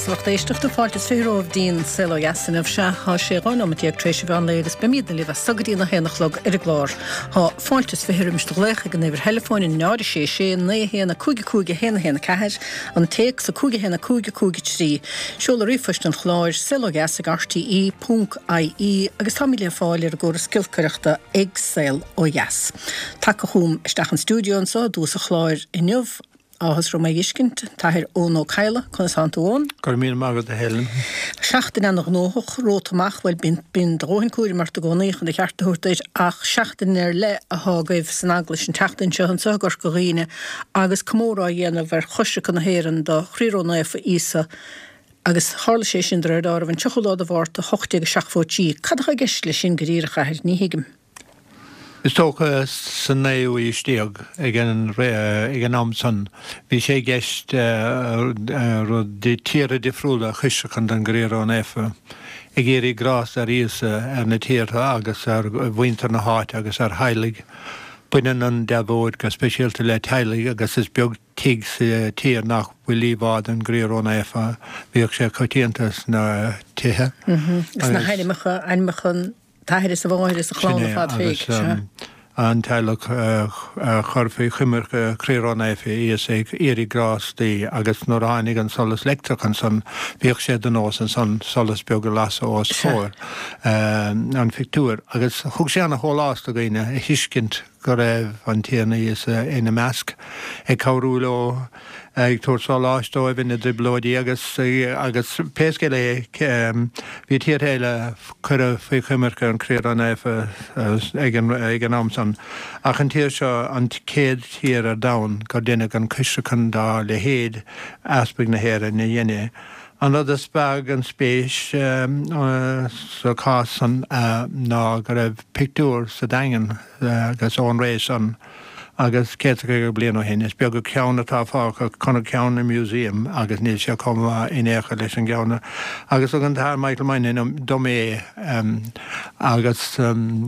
Deas a lucht éisteachta, fáilte is 20 romhaibh dtí'n Saol Ó Dheas inniu. Sea, thá sé 12 nóimeat tar éis an mheán lae agus beimídne libh as so go dtí an 1 a chlog ar an gclár. Thá fáilte is 20 roimis do ghlaoch ag an uimhir theileafóin 0 6 6 9 1 5 5 1 1 4, an téacs 5 1 5 5 3. Seoladh ríomhphoist an chláir, saolodheas ag rte ponc ie agus táimid le fáil ar an gcóras giolcaireachta ag Saol Ó Dheas. Tagtha chugam isteach an stiúideo anso i dtús an chláir inniu, Áthas orm é a fheiscint, an tAthair Eoin Ó Cadhla, conas thánn tú Eoin? Go raibh míle maith agat a Helen. Seachtain ana ghnóthach romhat amach, bhuel bíonn, bíonn do dhóthain cúraim ort i gcónaí chun do cheart a thabhairt duit ach seachtain ar leith athá agaibh san Eaglais an tseachtain seo anso i gCorca Dhuibhne agus comóradh á dhéanamh ar choisreacan na hÉireann do Chroí Ró-Naofa Íosa agus tharla sé sin de réir dealraimh an 30ú lá de Mhárta 1873. Cad athá i gceist leis sin go díreach, a Athair? Ní thuigim. Is dócha sa naoú aois déag, ag an am san, bhí sé i gceist rud tíortha difriúla a choisreacan don gCroí Ró-Naofa, ag iarraidh grásta ar Íosa ar na tíortha agus ar mhuintir na háite agus ar theaghlaigh. Baineann an deabhóid go speisialta le teaghlaigh agus is beag tigh sa tír nach bhfuil íomhá den gCroí Ró-Naofa. Bhíodh sé coitianta sna tithe. Sna hainmneacha, ainmneacha an t-athair is an mháthair is an chlann ar fad féig. Sin é, agus an teaghlach a chur faoi choimirce Chroí Ró-Naofa Íosa ag iarraidh grástaí agus nuair a tháinig an solas leictreach ansan bhíodh sé de nós ansan solas beag a lasadh os comhair an phictiúir agus thug sé ana shólás do dhaoine a thuiscint go raibh an Tiarna Íosa ina measc, ag cabhrú leo, ag tabhairt sóláis dóibh ina dtrioblóidí agus, agus pé scéal é, bhí tíortha eile a cuireadh faoi choimirce an Chroí Ró-Naofa ag an, ag an am san, ach an tír seo an chéad tír ar domhan gur deineadh an coisreacan dá leithéid, Easpag na hÉireann a dhein é. An rud a spreag an spéis sa chás san ná go raibh pictiúr sa Daingean agus ón ré san agus 150 bliain ó shin. Is beag an ceann atá fágtha, chonac ceann i museum agus níl sé chomh maith in aon chor leis an gceann agus thug an tAthair Michael Moynihan dom é agus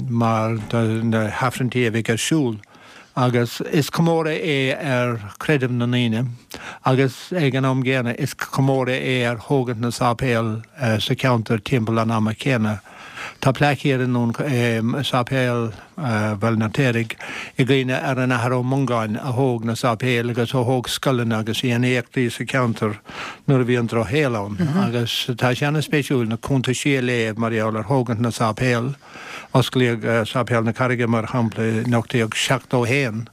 mar do na hAifrinntí a bheidh ar siúl. Agus is comóradh é ar chreideamh na ndaoine agus ag an am gcéanna is comóradh é ar thógaint na sáipéal sa cheantar timpeall an ama chéanna. Tá plaic thiar i nDún i Sáipéal Bhaile an Fheirtéaraigh i gcuimhne ar an Athair Ó Mongáin a thóg na sáipéil agus a thóg scoileanna agus a dhein éachtaí sa cheantar nuair a bhí an drochshaol ann. Agus tá sé ana-spéisiúil na cuntaisí a léamh mar gheall ar thógaint na sáipéal. Osclaíodh Sáipéal na Carraige, mar shampla, in 1871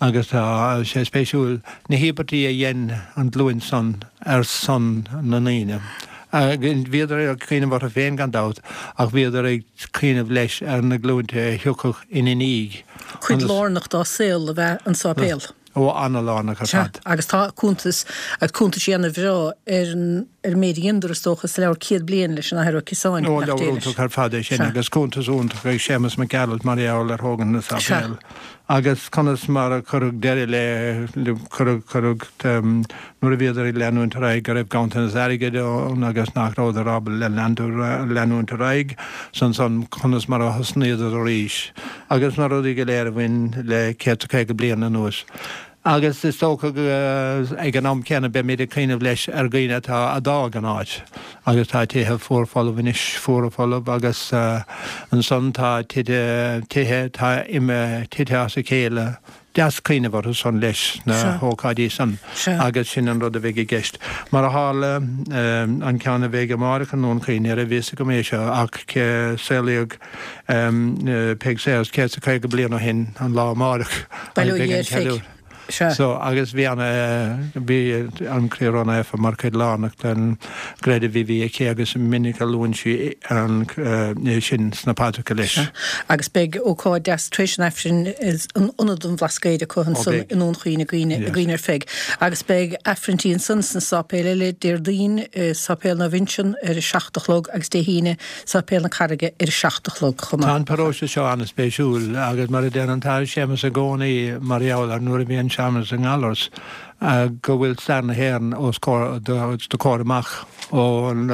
agus tá sé spéisiúil na híobairtí a dhein an ghlúin san ar son na ndaoine. Bhíodar ag cuimhneamh orthu féin gan dabht ach bhíodar ag cuimhneamh leis ar na glúinte a thiocfadh ina ndiaidh. Cuid lárnach dá saol ab ea an sáipéal. Ó, ana-lárnach ar Sea, fad. agus tá cuntas, agus cuntaisí ana-bhreá ar an, ar an méid a dheineadar, is dócha, sa leabhar Céad Bliain leis an Athair Ó Ciosáin, Ó, nach leabhar dé leis. iontach ar fad é sin, Sea. agus cuntas iontach ag Séamus Mac Gearailt mar gheall ar thógaint na Sea. sáipéal agus conas mar a cuireadh deireadh le, le, cuireadh, cuireadh, nuair a bhíodar ag leanúint ar aghaidh go raibh ganntanas airgid ann agus nach rabhadar ábalta leanúint ar aghaidh, 's ansan conas mar a thosnaíodar arís. Agus na rudaí go léir a bhain le 150 bliain anuas. Agus is dócha go, ag an am céanna, beimid ag cuimhneamh leis ar dhaoine atá, a d'fhág an áit agus tá tithe fuar folamh anois, fuara folamh agus ansan tá tithe, tithe atá imithe, tite as a chéile. Deas cuimhneamh orthu san leis na hócáidí san agus sin an rud a bheidh i gceist. Mar a tharla, an ceann a bheidh amáireach i nDún Chaoin, ní raibh fhios agam é seo ach saolaíodh Peig Sayers 150 bliain ó shin an lá amáireach agus beidh an ceiliúradh. So, agus bhí an, bhí an Croí Ró-Naofa mar chuid lárnach den gcreideamh a bhí aici agus is minic a luann sí an, sin sna paidreacha leis. Agus beidh ócáid deas tar éis an Aifrinn in Ionad an Bhlascaoid acu ansan i nDún Chaoin i gcuimhne i gcuimhne ar Pheig. Agus beidh Aifrinntí ansan sna sáipéil eile, Déardaoin i Sáipéal Naomh Uinseann ar a 7 a chlog agus Dé hAoine Sáipéal na Carraige ar a 7 a chlog chomh maith. Tá an paróiste seo an-spéisiúil agus mar a deir an tAthair Séamus i gcónaí mar gheall ar nuair a bhí an searmanas i nGallaras go bhfuil stair na hÉireann os do chomhair amach ón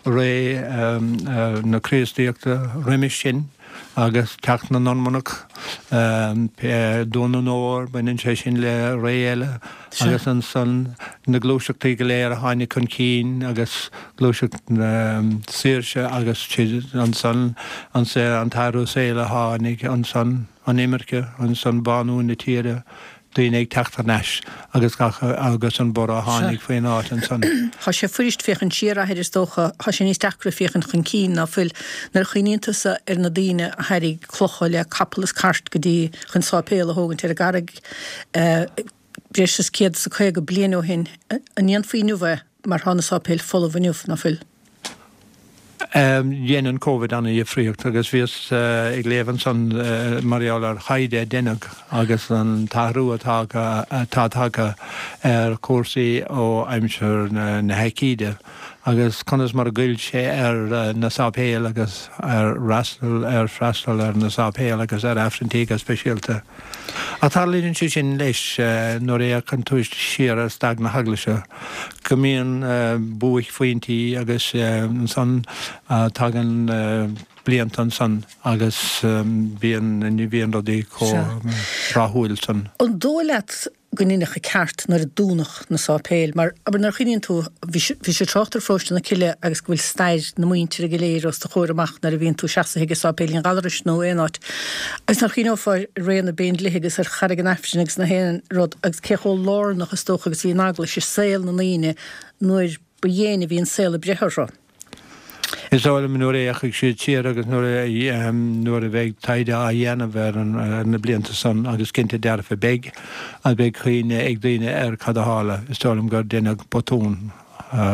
ré na Críostaíochta roimis sin agus teacht na Normannach. Dún an Óir, baineann sé sin le ré eile agus ansan na gluaiseachtaí go léir a tháinig chun cinn agus gluaiseacht na saoirse agus ansan an t-athrú saoil a tháinig ansan, an imirce, ansan bánú na tíre. daoine ag teacht thar n-ais agus gach agus an borradh a tháinig faoin áit ansan. Tá sé fuirist féachaint siar, a Athair, is dócha. Tá sé níos deacra féachaint chun cinn, ná fuil? Nuair a chuimhníonn tusa ar na daoine a thairrig clocha le capall is cairt go dtí chun sáipéal a thógaint ar an gCarraig breis is 150 bliain ó shin, an ndéanfaí inniu é mar tá na sáipéil folamh inniu, ná fuil? Dhein an Covid ana-dhifríocht agus bhíos ag léamh ansan mar gheall ar thaighde a deineadh agus an t-athrú atá atá tagtha ar chúrsaí ó aimsir na haicíde agus conas mar a ghoill sé ar na sáipéil agus ar fhreastal ar freastal ar na sáipéil agus ar Aifrinntí go speisialta. Ach tarlaíonn sé sin leis nuair a fhéachann tú siar ar stair na hEaglaise, go mbíonn buaicphointí agus ansan tagann blianta ansan agus bíonn, ní bhíonn rudaí chomh rathúil san. An dóigh leat go ndeineadh an ceart nuair a dúnadh na sáipéil? Mar, abair, nuair a chuimhníonn tú, bhí bhí sé ag trácht ar pharóiste na Cille agus go bhfuil stair na muintire go léir os do chomhair amach nuair a bhíonn tú seasaithe ag sáipéilín Ghallarais nó aon áit. Agus nuair a chuimhneofá ar ré na bPéindlíthe agus ar Charraig an Aifrinn agus na haon rud agus cé chomh lárnach is dócha agus bhí an eaglais i saol na ndaoine nuair ba dhéine a bhí an saol ag breith orthu. Is dóigh liom nuair a fhéachfaidh siad siar agus nuair a nuair a bheidh taighde á dhéanamh ar ar na blianta san, agus cinnte dearfa beidh, agus beidh cuimhne ag daoine ar cad a tharla, is dóigh liom gur deineadh botún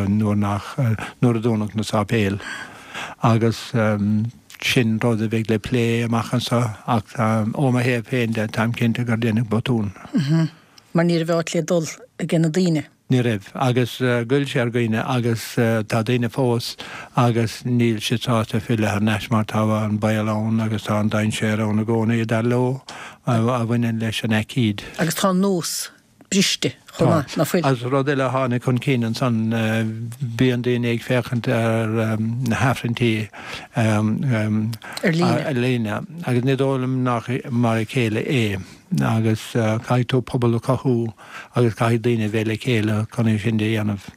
nuair nach nuair a dúnadh na sáipéil. Agus sin rud a bheidh le plé amach anseo ach ó mo thaobh féin de, táim cinnte gur deineadh botún. Mar ní raibh áit le dul age na daoine. Ní raibh. Agus ghoill sé ar dhaoine agus tá daoine fós agus níl siad sásta filleadh thar n-ais mar tá an baol ann agus tá an dainséar ann i gcónaí, dar leo, a bhaineann leis an aicíd. Agus tá an nós briste chomh maith, ná fuil? Agus rud eile a tháinig chun cinn ansan, bíonn daoine ag féachaint ar na hAifrinntí ar líne agus ní dóigh liom nach mar a chéile é agus caithfidh tú pobal a chothú. agus caithfidh daoine a bheith le chéile chun é sin a dhéanamh.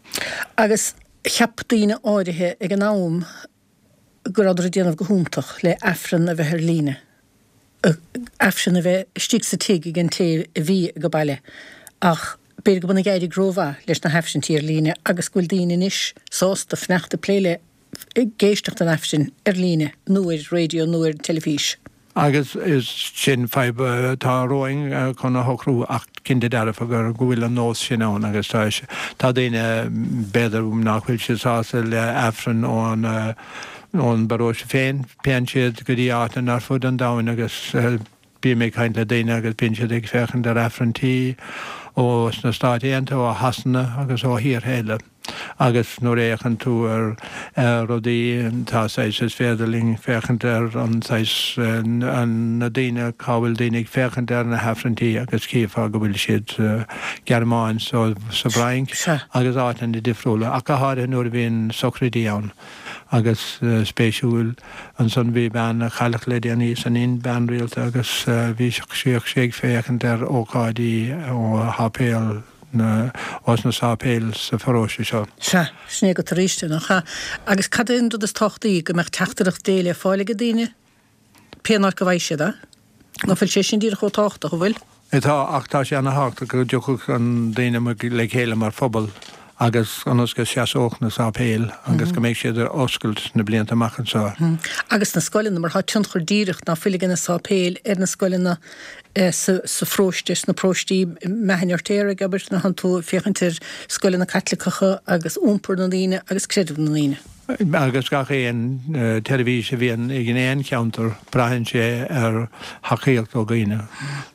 Agus cheap daoine áirithe ag an am go rabhadar ag déanamh go hiontach le Aifreann a bheith ar líne, Aifreann a bheith istigh sa tigh ag an té a bhí ag baile ach b'fhéidir go mb'ionann ag éirigh rómhaith leis na hAifrinntí ar líne agus go bhfuil daoine anois sásta fanacht ag plé le ag éisteacht an Aifrinn ar líne nó ar raidió nó ar an teilifís. Agus is sin fadhb atá romhainn chun a shocrú ach cinnte dearfa go bhfuil an nós sin ann agus tá tá daoine b'fhéidir nach bhfuil siad sásta le Aifreann ón ón bparóiste féin, téann siad go dtí áiteanna ar fud an domhain agus bím ag caint le daoine agus bíonn siad ag féachaint ar Aifrinntí ó sna Stáit Aontaithe, ó Shasana agus ó thíortha eile. Agus nuair a fhéachann tú ar rudaí, tá saghas, is féidir linn féachaint ar an saghas, na daoine, cá bhfuil daoine ag féachaint ar na hAifrinntí agus chífeá go bhfuil siad sa Ghearmáin, sa bhFrainc agus áiteanna difriúla, ach go háirithe nuair a bhíonn sochraidí ann. Agus spéisiúil, ansan bhí bean a cailleadh le déanaí san Ind, bean rialta, agus bhí sí ag féachaint ar ócáidí ó sháipéal, na, ós na sáipéil sa pharóiste seo. Sea, sin é agat arís é, nach ea? Agus cad é an rud is tábhachtaí, go mbeadh teachtaireacht Dé le fáil ag daoine, pé áit go bhfaighidh siad é? Ná fuil sé sin díreach chomh tábhachtach, an bhfuil? Tá, ach tá sé ana-thábhachtach go dtiocfadh an daoine le chéile mar phobal agus ionas go seasódh na sáipéil agus go mbeidh siad ar oscailt sna blianta amach anseo. Agus na scoileanna, mar tá tionchar díreach, ná fuil ag na sáipéil ar na scoileanna sa pharóiste, sna paróistí, Meath an Fheirtéaraigh, abair, nuair atánn tú ag féachaint ar scoileanna Caitliceacha agus iompar na ndaoine agus creideamh na ndaoine. Agus gach aon tseirbhís a bhíonn in aon cheantar, braitheann sé ar thacaíocht ó dhaoine.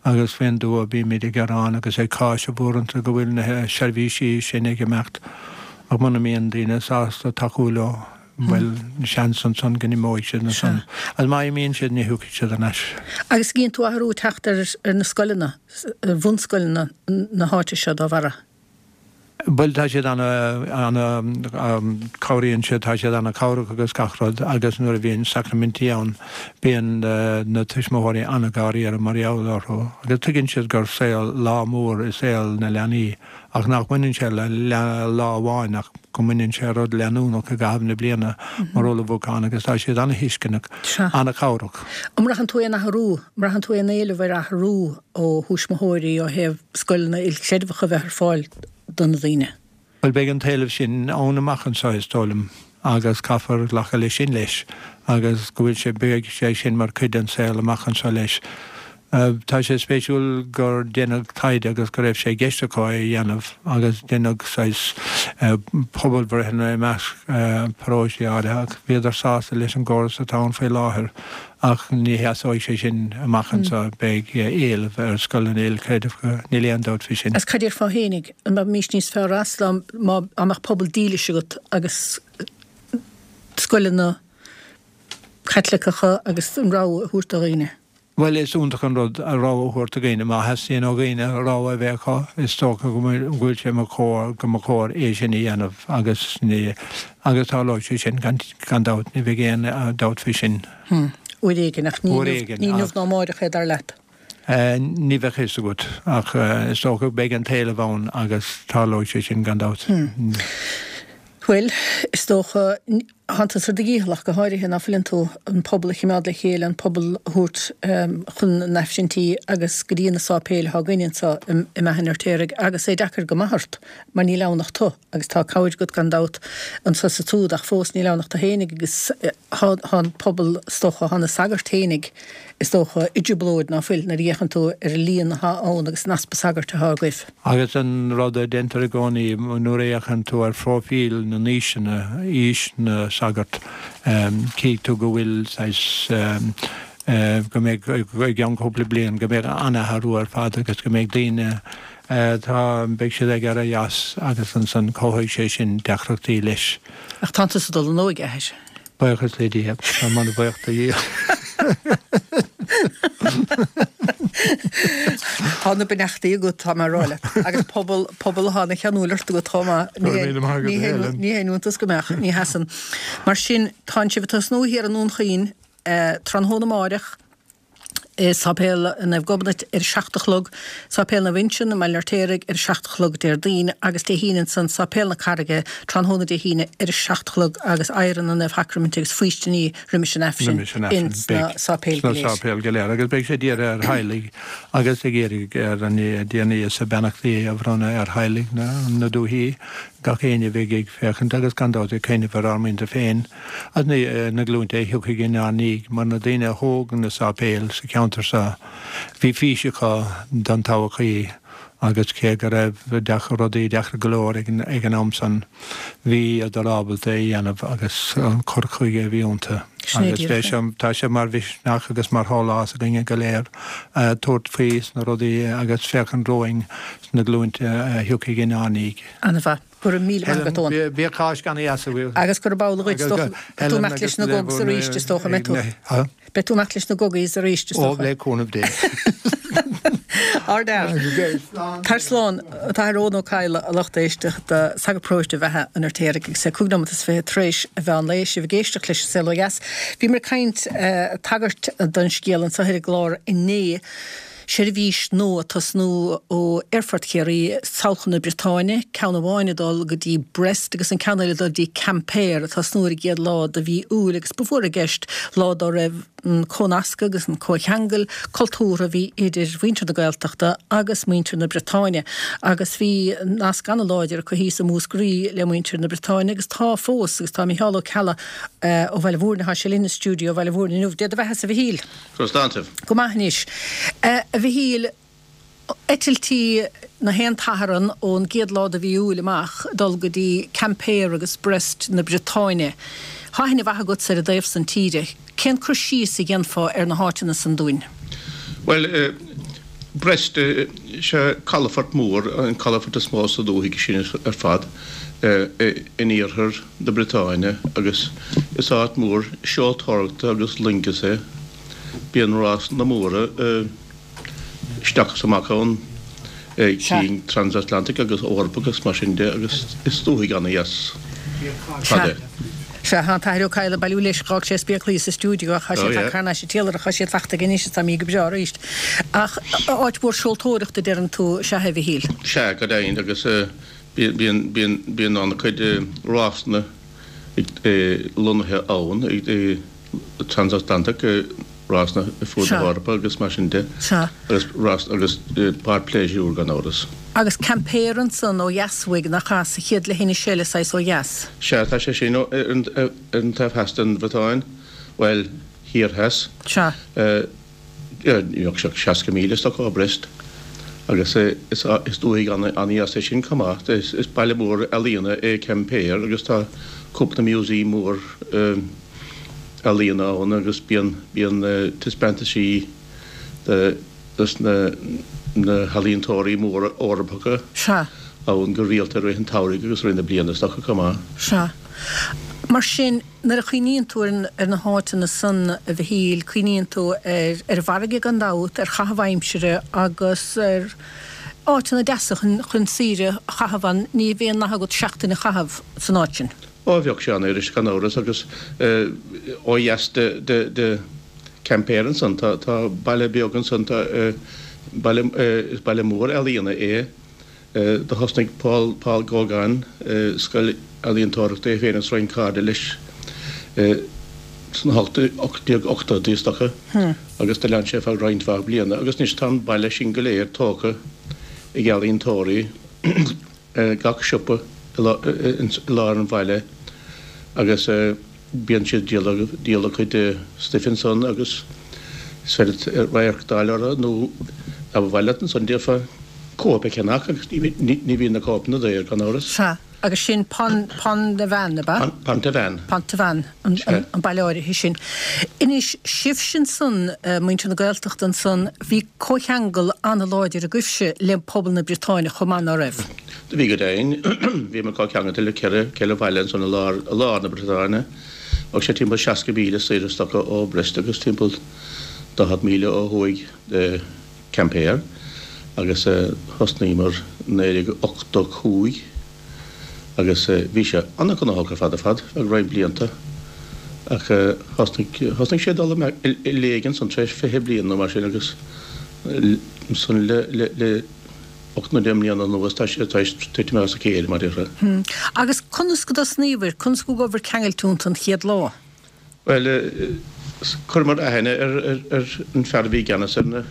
Agus faoin dtuath, bímid ag gearán agus ag cáiseamh uaireanta go bhfuil na seirbhísí sin ag imeacht, ach muna mbíonn daoine sásta tacú leo, bhuel, seans ansan go n-imeoidh siad ansan. Agus má imíonn siad, ní thiocfaidh siad thar n-ais. Agus an gcíonn tú athrú ag teacht ar na scoileanna, ar bhunscoileanna na háite seo dá bharra? Bhuel, tá siad ana, ana, cabhraíonn siad, tá siad ana chabhrach agus gach rud agus nuair a bhíonn sacraimintí ann bíonn na tuismitheoirí ana dháiríre mar gheall orthu agus tuigeann siad gur saol, lá mór i saol na leanaí ach nach mbaineann sé le lá amháin ach go mbaineann sé rud leanúnach i gcaitheamh na bliana mar ullmhúchán agus tá siad ana thuisceanach, ana chabhrach. An mbraitheann tú aon athrú, an mbraitheann tú aon éileamh ar athrú ó thuismitheoirí ó thaobh scoileanna ilchreidmheacha a bheith ar fáil do na daoine? Bhuel, beidh an t-éileamh sin ann amach anseo, is dóigh liom, agus caithfear glacadh leis sin leis, agus go bhfuil sé, beidh sé sin mar chuid den saol amach anseo leis. Tá sé spéisiúil gur deineadh taighde agus go raibh sé i gceist acu é a dhéanamh agus deineadh saghas pobalbhreitheanna i measc paróistí áirithe ach bhíodar sásta leis an gcóras atá ann faoi láthair. Ach ní sheasóidh sé sin amach anseo, beidh éileamh ar scoileanna ilchreidmheacha, níl aon dabht faoi sin. Agus cad déarfá fhéinig, an mbeimís níos fearr as dá mbeadh pobal dílis agat agus scoileanna Caitliceacha agus an rogha a thabhairt do dhaoine? Bhuel, is iontach an rud a rogha a thabhairt do dhaoine. Má theastaíonn ó dhaoine rogha a bheith acu, is dócha go bhfuil sé mar chóir, go mba chóir é sin a dhéanamh agus ní, agus tarlóidh sé sin gan, gan dabht, ní bheidh aon dabht faoi sin. Hm. Uair éigin, ach ní inniu, ní inniu ná amáireach é, dar leat? Ní bheadh fhios agat, ach is dócha go beidh an t-éileamh ann agus tarlóidh sé sin gan dabht. Hm. Bhuel, is dócha, Tánn tusa ar do dhícheall ach go háirithe, ná fuileann tú, an pobal a chimeád le chéile, an pobal a thabhairt chun na n-aifrinntí agus go dtí na sáipéil atá againn anso i mBeatha an Fheirtéaraigh agus é deacair go maith ort mar níl ann ach tu agus tá cabhair agat gan dabht anso is ansúd ach fós níl ann ach tu fhéinig agus tá an pobal is dócha, tá na sagairt fhéinig is dócha i dtrioblóid ná fuil nuair a fhéachann tú ar an líon atá ann agus an easpa sagairt atá agaibh. Agus an rud a deintear i gcónaí nuair a fhéachann tú ar phróifíl na n-aoiseanna, aois na sagart, chífidh tú go bhfuil saghas, go mbeidh, i gceann cúpla bliain, go mbeidh an-athrú ar fad agus go mbeidh daoine atá, beidh siad ag éirí as agus ansan cothóidh sé sin deacrachtaí leis. Ach tánn tusa ag dul in óige, a athair. Buíochas le Dia. Tá mé an-bhuíoch do Dhia. Tá na beannachtaí agat, tá mé a rá leat. Agus pobal, pobal atá ina cheanúil ort agat chomh maith. Go raibh míle maith agat, a Helen. Ní haon iontas go mbeadh, ní sheasann. Mar sin, tánn sibh ag tosnú thiar i nDún Chaoin tráthnóna amáireach. i Sáipéal Naomh Gobnait ar a 7 a chlog, Sáipéal Naomh Uinseann i mBaile an Fheirtéaraigh ar a 7 a chlog Déardaoin agus Dé hAoine ansan Sáipéal na Carraige tráthnóna Dé hAoine ar a 7 a chlog agus adhradh na Naomhshacraiminte agus faoistiní roimis an Aifreann Roimis an Aifreann. ins na Beidh sáipéil go sna léir. sáipéil go léir agus beidh sé dírithe ar theaghlaigh agus ag iarraidh ar an dTiarna Íosa beannachtaí a bhronnadh ar theaghlaigh na na dúichí, gach éinne a bheidh ag féachaint agus gan dabht ag cuimhneamh ar ár muintir féin. Agus na glúinte a thiocfaidh inár ndiaidh, mar na daoine a thóg na sáipéil sa cheantar seo, bhí fís acu don todhchaí agus cé go raibh rudaí deacair go leor ag an am san, bhíodar ábalta é a dhéanamh agus an cur chuige a bhí iontu. Agus beidh sé, tá sé mar mhisneach agus mar shólás againne go léir tabhairt faoi sna rudaí agus féachaint romhainn sna glúinte a thiocfaidh inár ndiaidh. An-mhaith. Go raibh míle maith agat, Eoin. Bíodh Cáisc ana-dheas agaibh. Agus gurb amhlaidh dhuit, is dócha. Beidh tú ag imeacht leis na Gogs arís, is dócha, an mbeidh tú? Beidh tú ag imeacht leis na Goggies arís, is dócha. Ó, le cúnamh Dé. Ardfhear. Tar slán. An tAthair Eoin Ó Cadhla, a lucht éisteachta, sagart paróiste Bheatha an Fheirtéaraigh agus é 25 nóiméad tar éis an mheán lae, sibh ag éisteacht leis An Saol Ó Dheas. Bhíomar ag caint, tagairt don scéal anseo ar an gclár inné. Seirbhís nua ag tosnú ó Aerfort Chiarraí sall chun na Briotáine, ceann amháin ag dul go dtí Brest agus an ceann eile ag dul dtí Quimper, ag tosnú ar an gcéad lá de mhí Iúil agus ba mhór i gceist lá dá raibh an comhnascadh agus an comhcheangal cultúrtha a bhí idir mhuintir na Gaeltachta agus muintir na Briotáine agus bhí nasc ana-láidir acu thíos i Múscraí le muintir na Briotáine agus tá fós agus tá Micheál Ó Ceallaigh ó Bhaile Mhúirne, tá sé linn i stiúideo Bhaile Mhúirne inniu. Dé do bheatha-sa a Mhichíl. Go raibh sláinte. Go maith anois. A Mhichíl, eitiltí na haon tSatharn ón gcéad lá de mhí Iúil amach ag dul go dtí Quimper agus Brest na Briotáine. Tá aithne mhaith agatsa ar an dtaobh san tíre. Cén cur síos a dhéanfá ar na háiteanna san dúinn? Bhuel, Brest, sé calafort mór, an calafort is mó sa dúthaigh sin ar fad, in iarthar na Briotáine agus is áit mhór seoltóireachta agus loingis é. Bíonn rásanna móra isteach is amach ann. Cinn Transatlantic agus Eorpach agus mar sin de agus is dúthaigh ana-dheas fad é. Sea, tá an tAthair Ó Cadhla ag bailiú leis, dh'fhág sé a spéaclaí sa stiúideo ach tá sé tagtha thar n-ais an t-iarlaith, tá siad fachta aige anois is tá mí go breá arís. Ach áit mhór seoltóireachta deireann tú, sea, a Mhichíl? Sea, go deimhin agus bíonn, bíonn, bíonn an-chuid rásanna lonnaithe ann, Transatlantic, rásanna ar fud na hEorpa agus mar sin de. Sea. Agus rás agus páirc pléisiúir gan amhras. Agus Quimper ansan ó dheas uaidh, nach ea, sa chéad leithinis eile saghas ó dheas? Sea, tá sé sin ar an taobh theas den Bhriotáin, bhuel, thiar theas. Sea. Ní bheadh sé ach 60 míle is dócha ó Brest. Agus is dúthaigh an-dheas é sin chomh maith. Is baile mór ealaíona é Quimper agus tá cúpla museum mór ealaíona ann agus bíonn bíonn taispeántaisí de dos na na healaíontóirí móra Eorpacha Sea. ann go rialta i rith an tsamhraidh agus i rith na bliana is dócha chomh maith. Sea. Mar sin, nuair a chuimhníonn tú ar ar na háiteanna san, a Mhichíl, cuimhníonn tú ar ar an bhfarraige gan dabht, ar chaitheamh aimsire agus ar áiteanna deasa chun chun saoire a chaitheamh ann. Ní bheadh aon nath agat seachtain a chaitheamh san áit sin. Ó, bheadh sé an-fhuirist gan amhras agus ó dheas de Quimper ansan tá baile beag ansan, tá baile, is baile mór ealaíona é. Do thosnaigh Paul, Paul Gauguin scoil ealaíontóireachta é féin agus roinnt cairde leis sna 1880idí is dócha agus do lean sé feadh roinnt mhaith bliana agus anois tá an baile sin go léir tógtha ag ealaíontóirí. gach siopa i lár an bhaile agus bíonn siad ag díol a gcuid stuif ansan agus is féidir radharc d'fháil orthu nó dá mba mhaith leat ansan d'fhéadfá cóip a cheannach agus ní bhíonn na cóipeanna daor gan amhras. Sea, agus sin Pont Pont-Aven, ab ea? Pont-Aven. Pont-Aven, an baile áirithe sin. Anois, sibhse ansan, muintir na Gaeltachta ansan, bhí comhcheangal an-láidir agaibhse le pobal na Briotáine chomh maith, ná raibh? Do bhí go deimhin. Bhíomar comhcheangailte le ceithre bhaile ansan i lár na Briotáine. Bheadh sé timpeall 60 míle soir is dócha ó Brest agus timpeall 40 míle ó thuaidh de Quimper agus thosnaíomar 1985. Agus bhí sé an-ghnóthach ar fad ar fad feadh roinnt blianta ach thosnaigh, thosnaigh sé ag dul i léig ansan tar éis 20 bliain nó mar sin agus ansan le, le, le 8 nó 10 mbliana anuas tá sé tar éis titim as a chéile mar a déarfá. Agus conas go dtosnaíobhair, conas go gabhaibhair ceangailte iontu an chéad lá? Bhuel, chuireamar aithne ar an fear a bhí i gceannas ar na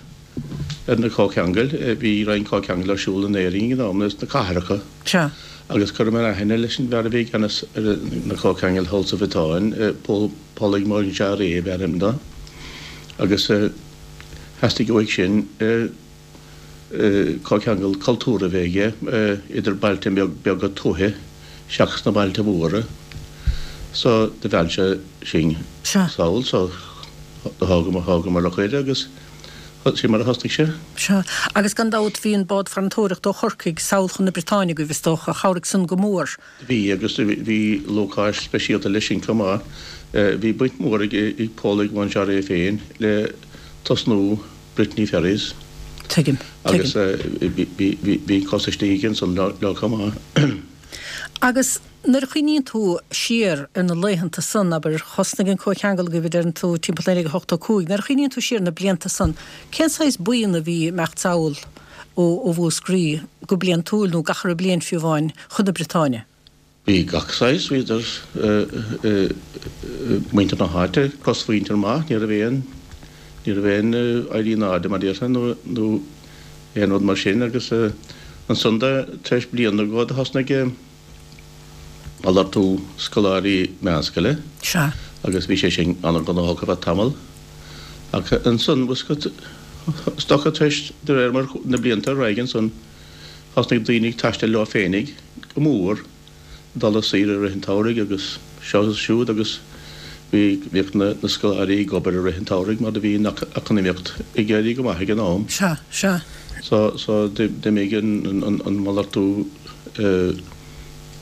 ar na comhcheangail. Bhí roinnt comhcheangal ar siúl in Éirinn ag an am, sna cathracha. Sea. Agus chuireamar aithne leis an bhfear a bhí i gceannas ar na comhcheangail thall sa Bhriotáin, Paul Polig Monjarret ab ainm dó. Agus theastaigh uaidh sin comhcheangal cultúrtha a bheith aige idir bailte beaga tuaithe seachas na bailte móra. So do mheall sé sinn sall so do thógamar a chuireadh agus sin mar a thosnaigh sé. Sea. Agus gan dabht bhí an bád farantóireachta ó Chorcaigh sall chun na Briotáine agaibh is dócha, chabhraigh san go mór. Bhí, agus bhí lúcháir speisialta leis sin chomh maith. Bhí baint mhór ag Polig Monjarret féin le tosnú Brittany Ferries. Tuigim. Agus bhí cos istigh aige ansan leo chomh maith. Agus nuair a chuimhníonn tú siar ar na laethanta san, abair, thosnaigh an comhcheangal agaibh a deireann tú timpeall 1985, nuair a chuimhníonn tú siar ar na blianta san, cén saghas buíon a bhí ag imeacht sall ó Mhúscraí go bliantúil nó gach re bliain fiú amháin chun na Briotáine? Bhí gach saghas, bhí idir muintir na háite, cosmhuintir maith, ní raibh aon, ní raibh aon éirí in airde mar a déarfá nó nó aon rud mar sin agus ansan de tar éis bliain nó dhó do thosnaigh malartú scoláirí meánscoile Sea. agus bhí sé sin an-ghnóthach ar feadh tamaill ach ansan is dócha tar éis de réir mar na blianta ar aghaidh ansan Thosnaigh daoine ag taisteal leo féinig go mór, dul ar saoire i rith an tsamhraidh agus seo agus siúd agus bhí, bhíodh na, na scoláirí ag obair i rith an tsamhraidh mar do bhí an eacnamaíocht ag éirí go maith ag an am. Sea, sea. So, so d'imigh an, an, an malartú eh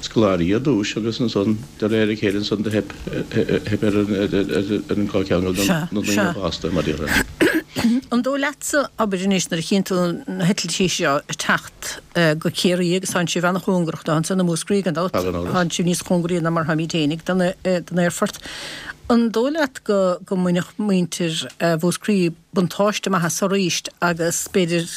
scoláirí ar dtúis agus ansan de réir a chéile ansan do theip, theip ar an, ar, ar an gcomhcheangal do Sea, na daoine sea. fásta mar a déarfá. An dóigh leatsa, abair anois, nuair a chíonn tú na heitiltí seo ag teacht go Ciarraí agus tánn sibh ana-chóngarach dó ansan i Múscraí gan dabht, tánn sibh níos cóngaraí ná mar tháimid fhéinig don aerfort, an dóigh leat go go mbainfeadh muintir Mhúscraí buntáiste maith as arís agus b'fhéidir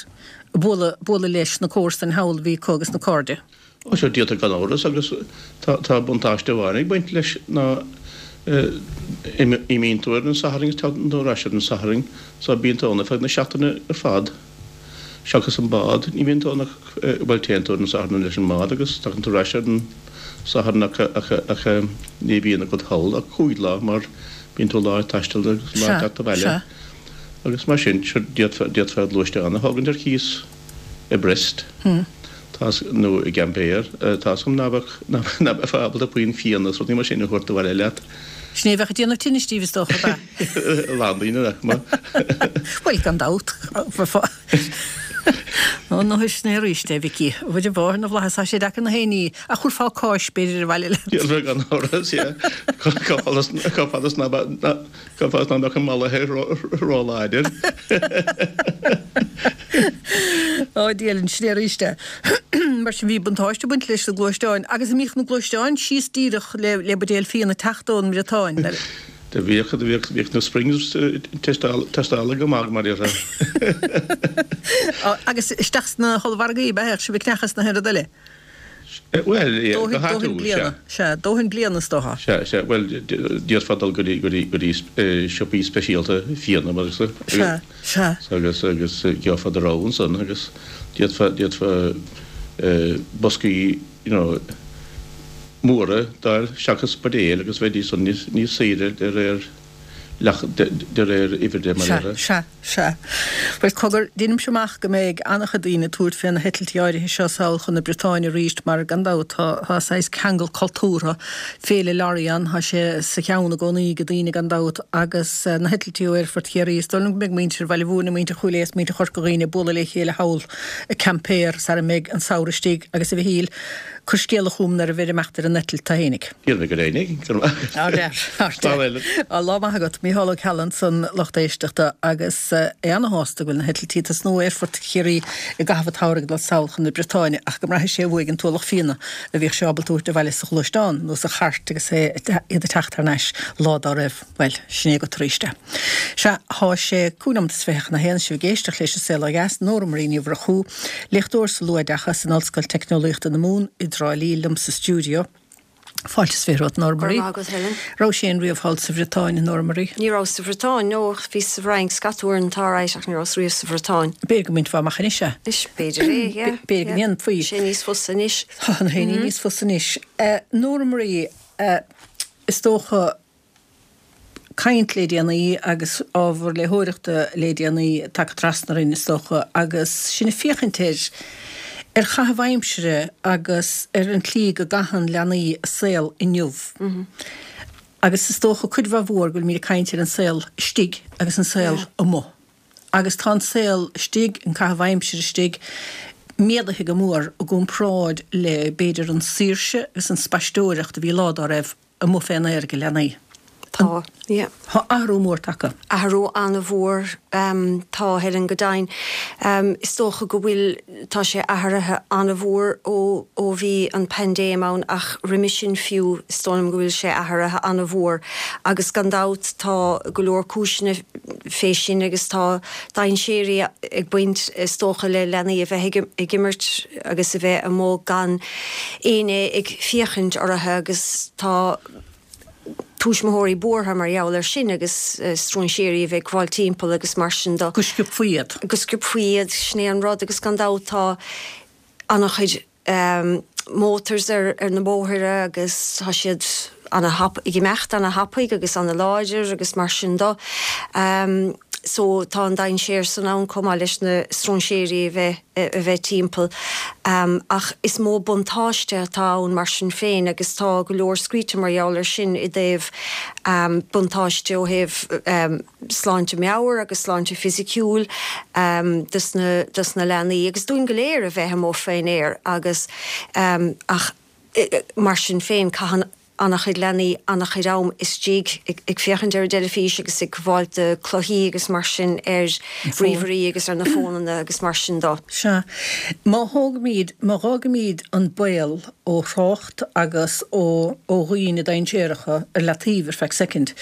bualadh bualadh leis na comharsain thall a bhí acu agus na cairde? Ó sure d'fhéadfadh gan amhras agus tá buntáiste amháin ag baint leis ná imíonn tú ar an Satharn agus tagann tú ar ais ar an Satharn so bíonn tú ann ar feadh na seachtaine ar fad seachas an bád, ní bhíonn tú ann ach, bhuel téann tú ar an Satharn leis an mbád agus tagann tú ar ais ar an Satharn ach ach ní bhíonn agat thall ach chúig lá mar bíonn tú lá ag taisteal agus lá ag teacht abhaile agus mar sin sure d'fhéadfá gluaisteán a thógaint ar cíos. i Brest, tá, nó i gCampér, tá 's agam ná beadh, ná beifeá ábalta puinn fíona is rudaí mar sin a thabhairt abhaile leat. Sin é a bheadh ag déanamh tinnis díbh is dócha, ab ea? A lán daoine nach mba. Bhuel, gan dabht, bheifeá. Ó, ná sin é arís é, a Mhicí. A Mhuire Mháthair na bhFlaitheas, tá sé deacair na haon ní ach thabharfá cáis, b'fhéidir, abhaile leat. Déarfá gan amhras, yeah. Cá fhad is, cá fhad is ná beadh, Cá fhad is ná beadh an mallaithe ró-láidir. Ó, Dia linn, sin é arís é. Mar sin, bhí buntáiste ag baint leis na gluaisteáin. Agus an mbíodh na gluaisteáin síos díreach le buidéal fíona ag teacht ón mBriotáin? Do bhíodh, do bhíodh, bhíodh na springs tástáilte go maith, mar a déarfá. Agus isteach sna hollmhargaí, ab ea? Bheadh sibh ag ceannach is na haon rud eile? Bhuel, go háitiúil, sea. Sea, dóthain bliana is dócha. Sea, sea, bhuel, d'fhéadfá dul go dtí, go dtí, go dtí siopaí speisialta fíona, mar is. Sea, sea. Agus, agus gheofá do rogha ansan agus d'fhéadfá, d'fhéadfá boscaí, you know, móra d'fháil seachas buidéil agus bheidís san níos, níos saoire de réir leacht, de réir uimhir de, mar a déarfá. Sea, sea. Sea. Bhuel, cogar, deinimse amach go mbeidh an-chuid daoine ag tabhairt fé na heitiltí áirithe seo sall chun na Briotáine arís mar, gan dabht, tá, tá saghas ceangal cultúrtha, Féile Lorient, tá sé sa cheann i gcónaí ag daoine, gan dabht, agus na heitiltí ó Aerfort Chiarraí. Is dóigh liom go mbeidh muintir Bhaile Mhúirne, muintir Chúil Aodha is muintir Chorca Dhuibhne ag bualadh le chéile thall i Quimper sara mbeidh an samhradh istigh agus, a Mhichíl, Cuir scéala chugam nuair a bheir ag imeacht ar an eitilt tú fhéinig. Déanfaidh mé go deimhin, go raibh maith agat. Slán Helen. Lá maith agat. Mícheál Ó Ceallaigh ansan, lucht éisteachta, agus é ana-shásta go bhfuil na heitiltí ag tosnú ó Aerfort Chiarraí i gcaitheamh an tsamhraidh ag dul sall chun na Briotáine ach go mbraithfidh sé uaidh an t-ualach fíona a bhíodh sé ábalta a thabhairt abhaile sa ghluaisteán nó sa chairt agus é iad ag teacht thar n-ais lá dá raibh. Bhuel, sin é agat arís é. Sea, thá sé cúig nóimeat is 21, sibh ag éisteacht leis An Saol Ó Dheas, Nóra Marie Ní Mhurchú, léachtóir sa luathoideachas in Ollscoil Teicneolaíochta na Mumhan i dTrá Lí liom sa stiúideo. Fáilte is 20 romhat, Nóra Marie. Go raibh maith agat, Helen. Raibh sé féin riamh thall sa Bhriotáin, a Nóra Marie? Ní rabhas sa Bhriotáin, no, ach bhíos sa bhFrainc scata uaireanta alright, ach ní rabhas riamh sa Bhriotáin. B'fhéidir go mbainfeá amach anois é. Anois, b'fhéidir é, yeah. B'fhéidir go ndéanfaí. Tá sé níos fusa anois. Tá na haon ní níos fusa anois. Nóra Marie, is dócha, caint le déanaí agus ábhar léitheoireachta le déanaí tagtha trasna orainn, is dócha, agus sinn ag féachaint ar ar chaitheamh aimsire agus ar an tslí go gcaitheann leanaí a saol inniu. Agus is dócha cuid mhaith mhór go bhfuilimid ag caint ar an saol istigh agus an saol amuigh. Agus tá an saol istigh, an caitheamh aimsire istigh, méadaithe go mór i gcomparáid le, b'fhéidir, an saoirse agus an spaisteoireacht a bhí lá dá raibh amuigh fén aer ag leanaí. Tá, yeah. Tá athrú mór tagtha. Athrú an-mhór, tá, Helen, go deimhin. Is dócha go bhfuil, tá sé athraithe an-mhór ó, ó bhí an paindéim ann ach roimhe sin fiú, is dóigh liom go bhfuil sé athraithe an-mhór agus gan dabht tá go leor cúiseanna fé sin agus tá dainséirí ag baint is dócha le leanaí a bheith ag imirt agus a bheith amuigh gan éinne ag féachaint orthu agus tá tuismitheoirí buartha mar gheall air sin agus stróinséirí a bheith ag gabháil timpeall agus mar sin de. Go sciobfaí iad. Go sciobfaí iad, sin é an rud agus gan dabht tá an-chuid motors ar na bóithre agus tá siad ana-thap, ag imeacht ana-thapaidh agus ana-láidir agus mar sin de. So tá an dainséar san ann chomh maith leis na stróinséirí a bheith a bheith timpeall. Ach is mó buntáiste atá ann mar sin féin agus tá go leor scríte mar gheall air sin i dtaobh buntáiste ó thaobh sláinte meabhair agus sláinte fisiciúil dos na dos na leanaí agus dúinn go léir a bheith amuigh faoin aer agus ach mar sin féin caitheann. an-chuid leanaí an-chuid am istigh ag féachaint ar an dteilifís agus ag gabháil do cluichí agus mar sin ar ríomhairí agus ar na fónanna agus mar sin do. Sea. Má thógaimíd, má dh'fhágaimíd an baol ó thrácht agus ó ó dhaoine dainséaracha ar leataobh ar feadh soicind,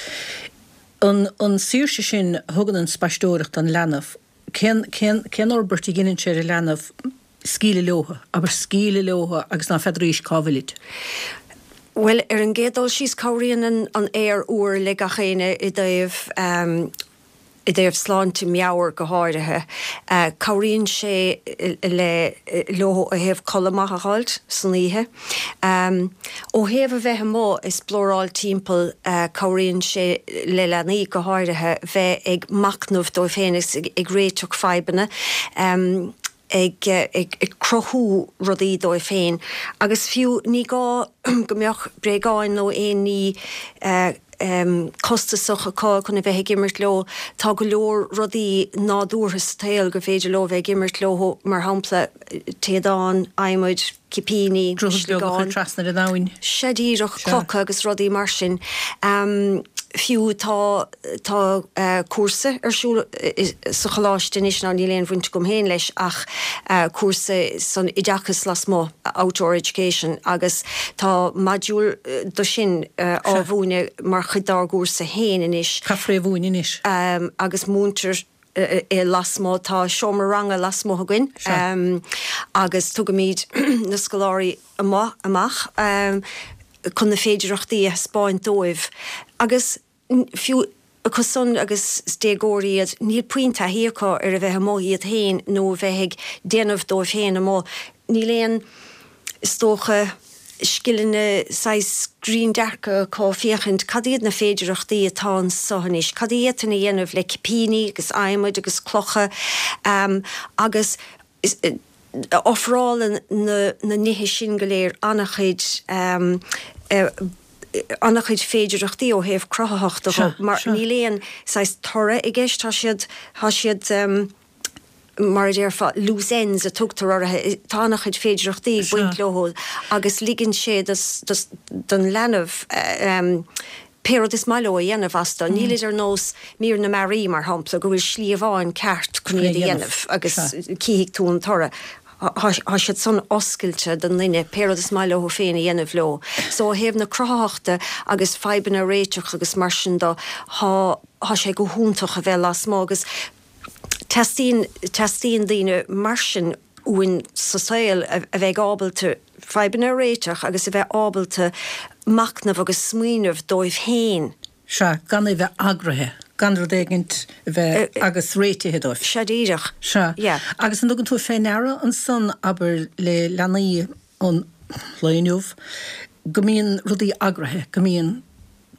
an an saoirse sin a thugann an spaisteoireacht don leanbh, cén cén cén fhorbairt a dheineann sé ar an leanbh scaoileadh leotha, abair scaoileadh leotha agus ná feadraís cá bhfuilid. Bhuel, ar an gcéad dul síos, cabhraíonn an aer úr le gach éinne i dtaobh, i dtaobh sláinte meabhair go háirithe. Cabhraíonn sé le, leo ó thaobh codladh maith a dh'fháilt san oíche. Ó thaobh a bheith amuigh ag splóráil timpeall, cabhraíonn sé le leanaí go háirithe bheith ag machnamh dóibh féin agus ag réiteach fadhbanna. ag cruthú rudaí dóibh féin agus fiú ní gá go mbeadh bréagáin nó aon ní costasach acu chun a bheith ag imirt leo. Tá go leor rudaí nádúrtha sa tsaol gur féidir leo a bheith ag imirt leo, mar shampla téadáin, adhmaid, cipíní, Droichead beag a chur sliogán. trasna ar an abhainn. Sea díreach, clocha agus rudaí mar sin. Fiú tá. Tá cúrsa ar siúl sa choláiste anois, ná níl aon bhaint agam féin leis ach cúrsa san oideachas lasmuigh, outdoor education, agus tá module do sin á mhúineadh mar chuid dár gcúrsa féin anois. Caithfear é a mhúineadh anois. Agus múintear é lasmuigh, tá seomra ranga lasmuigh againn agus tugaimid na scoláirí amuigh amach chun na féidireachtaí a thaispeáint dóibh agus Fiú acu san agus is déagóirí iad, níl puinn taithí acu ar a bheith amuigh iad féin nó a bheith ag déanamh dóibh féin amuigh. Níl aon, is dócha, scileanna saghas grinn-dearcadh acu féachaint cad iad na féidireachtaí atá anso anois, cad a d'fhéadfainn a dhéanamh le cipíní agus adhmaid agus clocha agus ofrálann na nithe sin go léir an-chuid an-chuid féidireachtaí ó thaobh cruthaitheachta de mar níl aon saghas toradh i gceist, tá siad, tá siad mar a déarfá loose ends a tugtar orthu, tá an-chuid féidireachtaí ag baint leo agus ligeann sé don leanbh pé rud is maith leo a dhéanamh astu. Nílid ar nós mír na mearaí, mar shampla, go bhfuil slí amháin ceart chun iad a dhéanamh agus cífidh tú an toradh. Tá siad san oscailte don duine pé rud is maith leo féin a dhéanamh leo. So ó thaobh na cruthaitheachta agus fadhbanna a réiteach agus mar sin do, tá sé go hiontach a bheith lasmuigh agus teastaíonn, teastaíonn daoine mar sin uainn sa saol a bheidh ábalta fadhbanna a réiteach agus a bheith ábalta machnamh agus smaoineamh dóibh féin. Sea, gan é bheith eagraithe, gan rud éigint a bheith agus réitithe dóibh. Sea, díreach. Sea. Yeah. Agus an dtugann tú fé ndeara ansan, abair, le leanaí an lae inniu, go mbíonn rudaí eagraithe, go mbíonn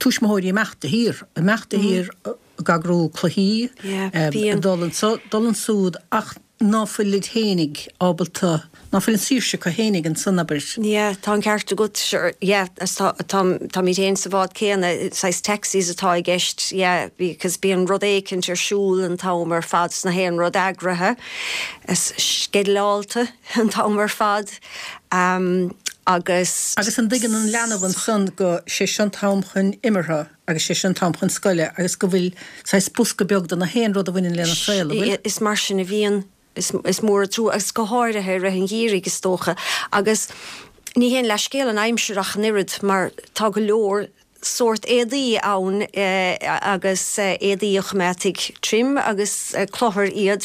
tuismitheoirí ag imeacht de shíor, ag imeacht de shíor ag eagrú cluichí, ag dul anso, dul ansúd, ach ná fuilid fhéinig ábalta, ná fuil an saoirse acu fhéinig ansan, abair. Yeah, tá an ceart agat, sure, yeah, tá, táimid féin sa bhád céanna, saghas taxis atá i gceist, yeah, because bíonn rud éicint ar siúl an t-am ar fad, 's nach aon rud eagraithe, is sceidealálta an t-am ar fad, agus. Agus an dtuigeann an leanbh ansan go, sé seo an t-am chun imeartha agus sé seo an t-am chun scoile agus go bhfuil saghas bosca beag de na haon rud a bhaineann lena saol, an bhfuil? Is mar sin a bhíonn. Is mór an trua, agus go háirithe i rith an gheimhridh, is dócha. Agus ní haon leathscéal an aimsir ach an oiread, mar tá go leor sórt éadaí ann agus éadaí a choimeádfaidh tirim agus cluthar iad,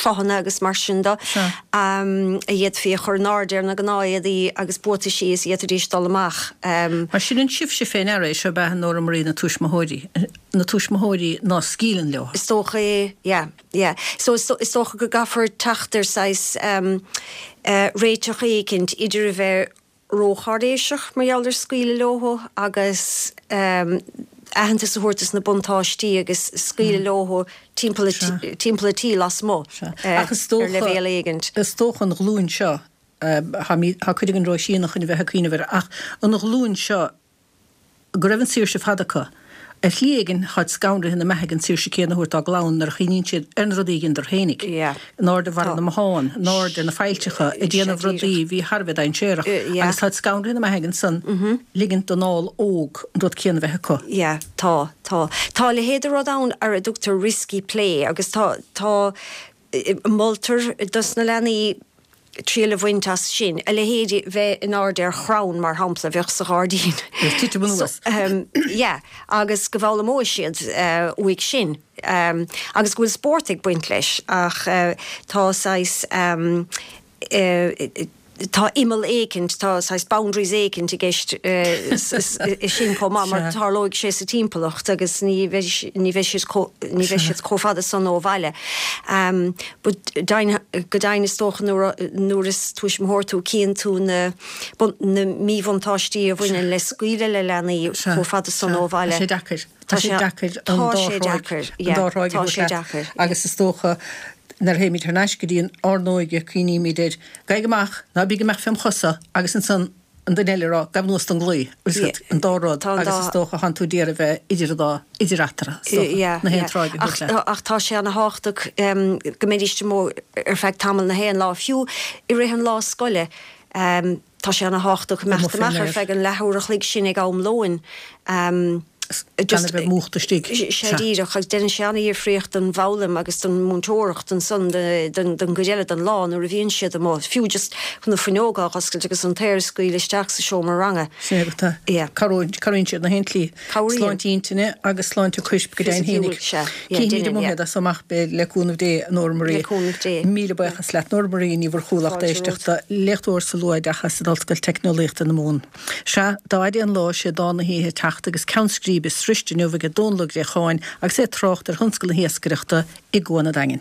cloghanna agus mar sin de, a d'fhéadfaí a chur in airde ar na gnáthéadaí agus buataisí is d'fhéadfaidís dul amach. Mar sin an sibhse fé ndeara é seo ab ea, a Nóra Marie, na tuismitheoirí, na tuismitheoirí ná scaoileann leo. Is dócha é, yeah, yeah. So is dócha go gcaithfear teacht ar saghas réiteach éicint idir a bheith rócháiréiseach mar gheall ar scaoileadh leo agus aitheantas a thabhairt dos na buntáistí agus scaoileadh leo timpeall timpeall an tí lasmuigh ar leibhéal éigint. Is dócha an ghlúin seo, tá cuid againn róshianach chun a bheith ag cuimhneamh air, ach an ghlúin seo go raibh an saoirse fada acu. Ar shlí éigin, táid scanraithe na mbeathaigh an tsaoirse céanna a thabhairt dá gclann nuair a chuimhníonn siad ar na rudaí a dheineadar fhéinig, in airde bharra na mbothán, in airde ar na failltreacha, ag déanamh rudaí a bhí thar a bheith dainséarach, agus táid scanraithe na mbeathaigh ansan ligint don ál óg an rud céanna a bheith acu. Yeah, tá, tá. Tá a leithéid de rud ann ar a dtugtar risky play agus tá, tá, moltar dos na leanaí triail a bhaint as sin, a leithéid bheith in airde ar chrann, mar shampla, a bheadh sa ghairdín. Agus titim anuas. Yeah, agus go bhfoghlaimeoidh siad uaidh sin. Agus go bhfuil spórt ag baint leis, ach tá saghas, tá imeall éicint, tá saghas boundaries éicint i gceist sin chomh maith mar tarlóidh sé sa timpeallacht agus ní bheidh ní bheidh siad chomh ní bheidh siad chomh fada san ó bhaile. But go deimhin is dócha nuair nuair is tuismitheoir tú cíonn tú na na míbhuntáistí a bhaineann le scaoileadh le leanaí chomh fada san ó bhaile. Tá sé deacair. Tá sé deacair an dá thráigh an dá thráigh a thabhairt leat agus is dócha nuair a théimid thar n-ais go dtí ár n-óige cuimhnímid ar 'Gabhaigí amach, ná bígí amach fém chosa' agus ansan an duine eile ag rá 'Gabh anuas don gclaí', an dá rud agus is dócha thánn tú d'iarraidh bheith idir an dá, idir eatarthu, is dócha, na haon tráigh a thabhairt leat. Ach tá sé ana thábhachtach go mbeidís amuigh ar feadh tamall na haon lá, fiú i rith an lá scoile. Tá sé ana thábhachtach imeacht amach ar feadh an leathuair a chloig sin ag am lóin. Gan a bheith múchta istigh. Sea díreach, agus déanann sé ana-dhifríocht don bhfoghlaim agus don mhúinteoireacht ansan don gcuid eile den lá nuair a bhíonn siad amuigh, fiú just chun na fuinneoga a dh'oscailt agus an t-aer a scaoileadh isteach sa seomra ranga. Sin é atá. Cabhraíonn siad na haon tslí. Sláinte intinne agus sláinte coirp go deimhin fhéinig. Cífimid amuigh iad as so amach beidh le cúnamh Dé, a Nóra Marie. Le cúnamh Dé. Míle buíochas leat, Nóra Marie Ní Mhurchú, lucht éisteachta, léachtóir sa luathoideachas in Ollscoil Teicneolaíochta na Mumhan. Sea, dá fhaide an lá, sé dán na hoíche ag teacht agus ceann scríbe sroiste inniu aige Dónall Ó Gréacháin agus é ag trácht ar thionscal na hiascaireachta i gCuan an Daingin.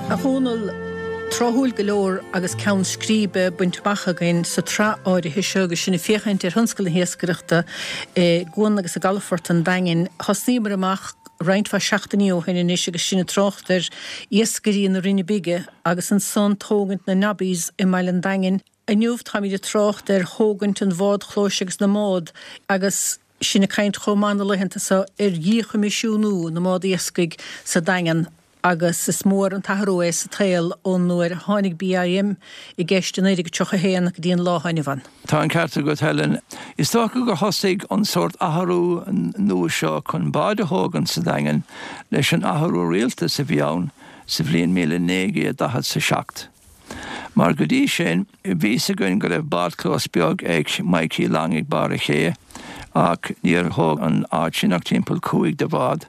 A Dhónaill, Tráthúil go leor agus ceann scríbe bainte amach againn sa tsraith áirithe seo agus sinn ag féachaint ar thionscal na hiascaireachta i gcuan agus i gcalafort an Daingin. Thosnaíomar amach roinnt mhaith seachtainí ó shin anois agus sinn ag trácht ar iascairí na Rinne Bige agus ansan tógaint na Nobbies i mbaile an Daingin. Inniu táimid ag trácht ar thógaint an bhádchlóis agus na mbád agus sinn ag caint chomh maith na laethanta seo ar dhíchoimisiúnú na mbád iascaigh sa Daingean agus is mór an t-athrú é sa tsaol ón uair a tháinig BIM i gceist i 1931 go dtí an lá atá inniu ann. Tá an ceart agat, Helen. Is dócha gur thosaigh an sórt athrú nua seo chun báid a thógaint sa Daingean leis an athrú rialtais a bhí ann sa bhliain 1947. Mar go dtí sin, bhí fhios againn go raibh bádchlós beag ag Mikey Long ag barr a' ché, ach níor thóg an áit sin ach timpeall 5 de bhád.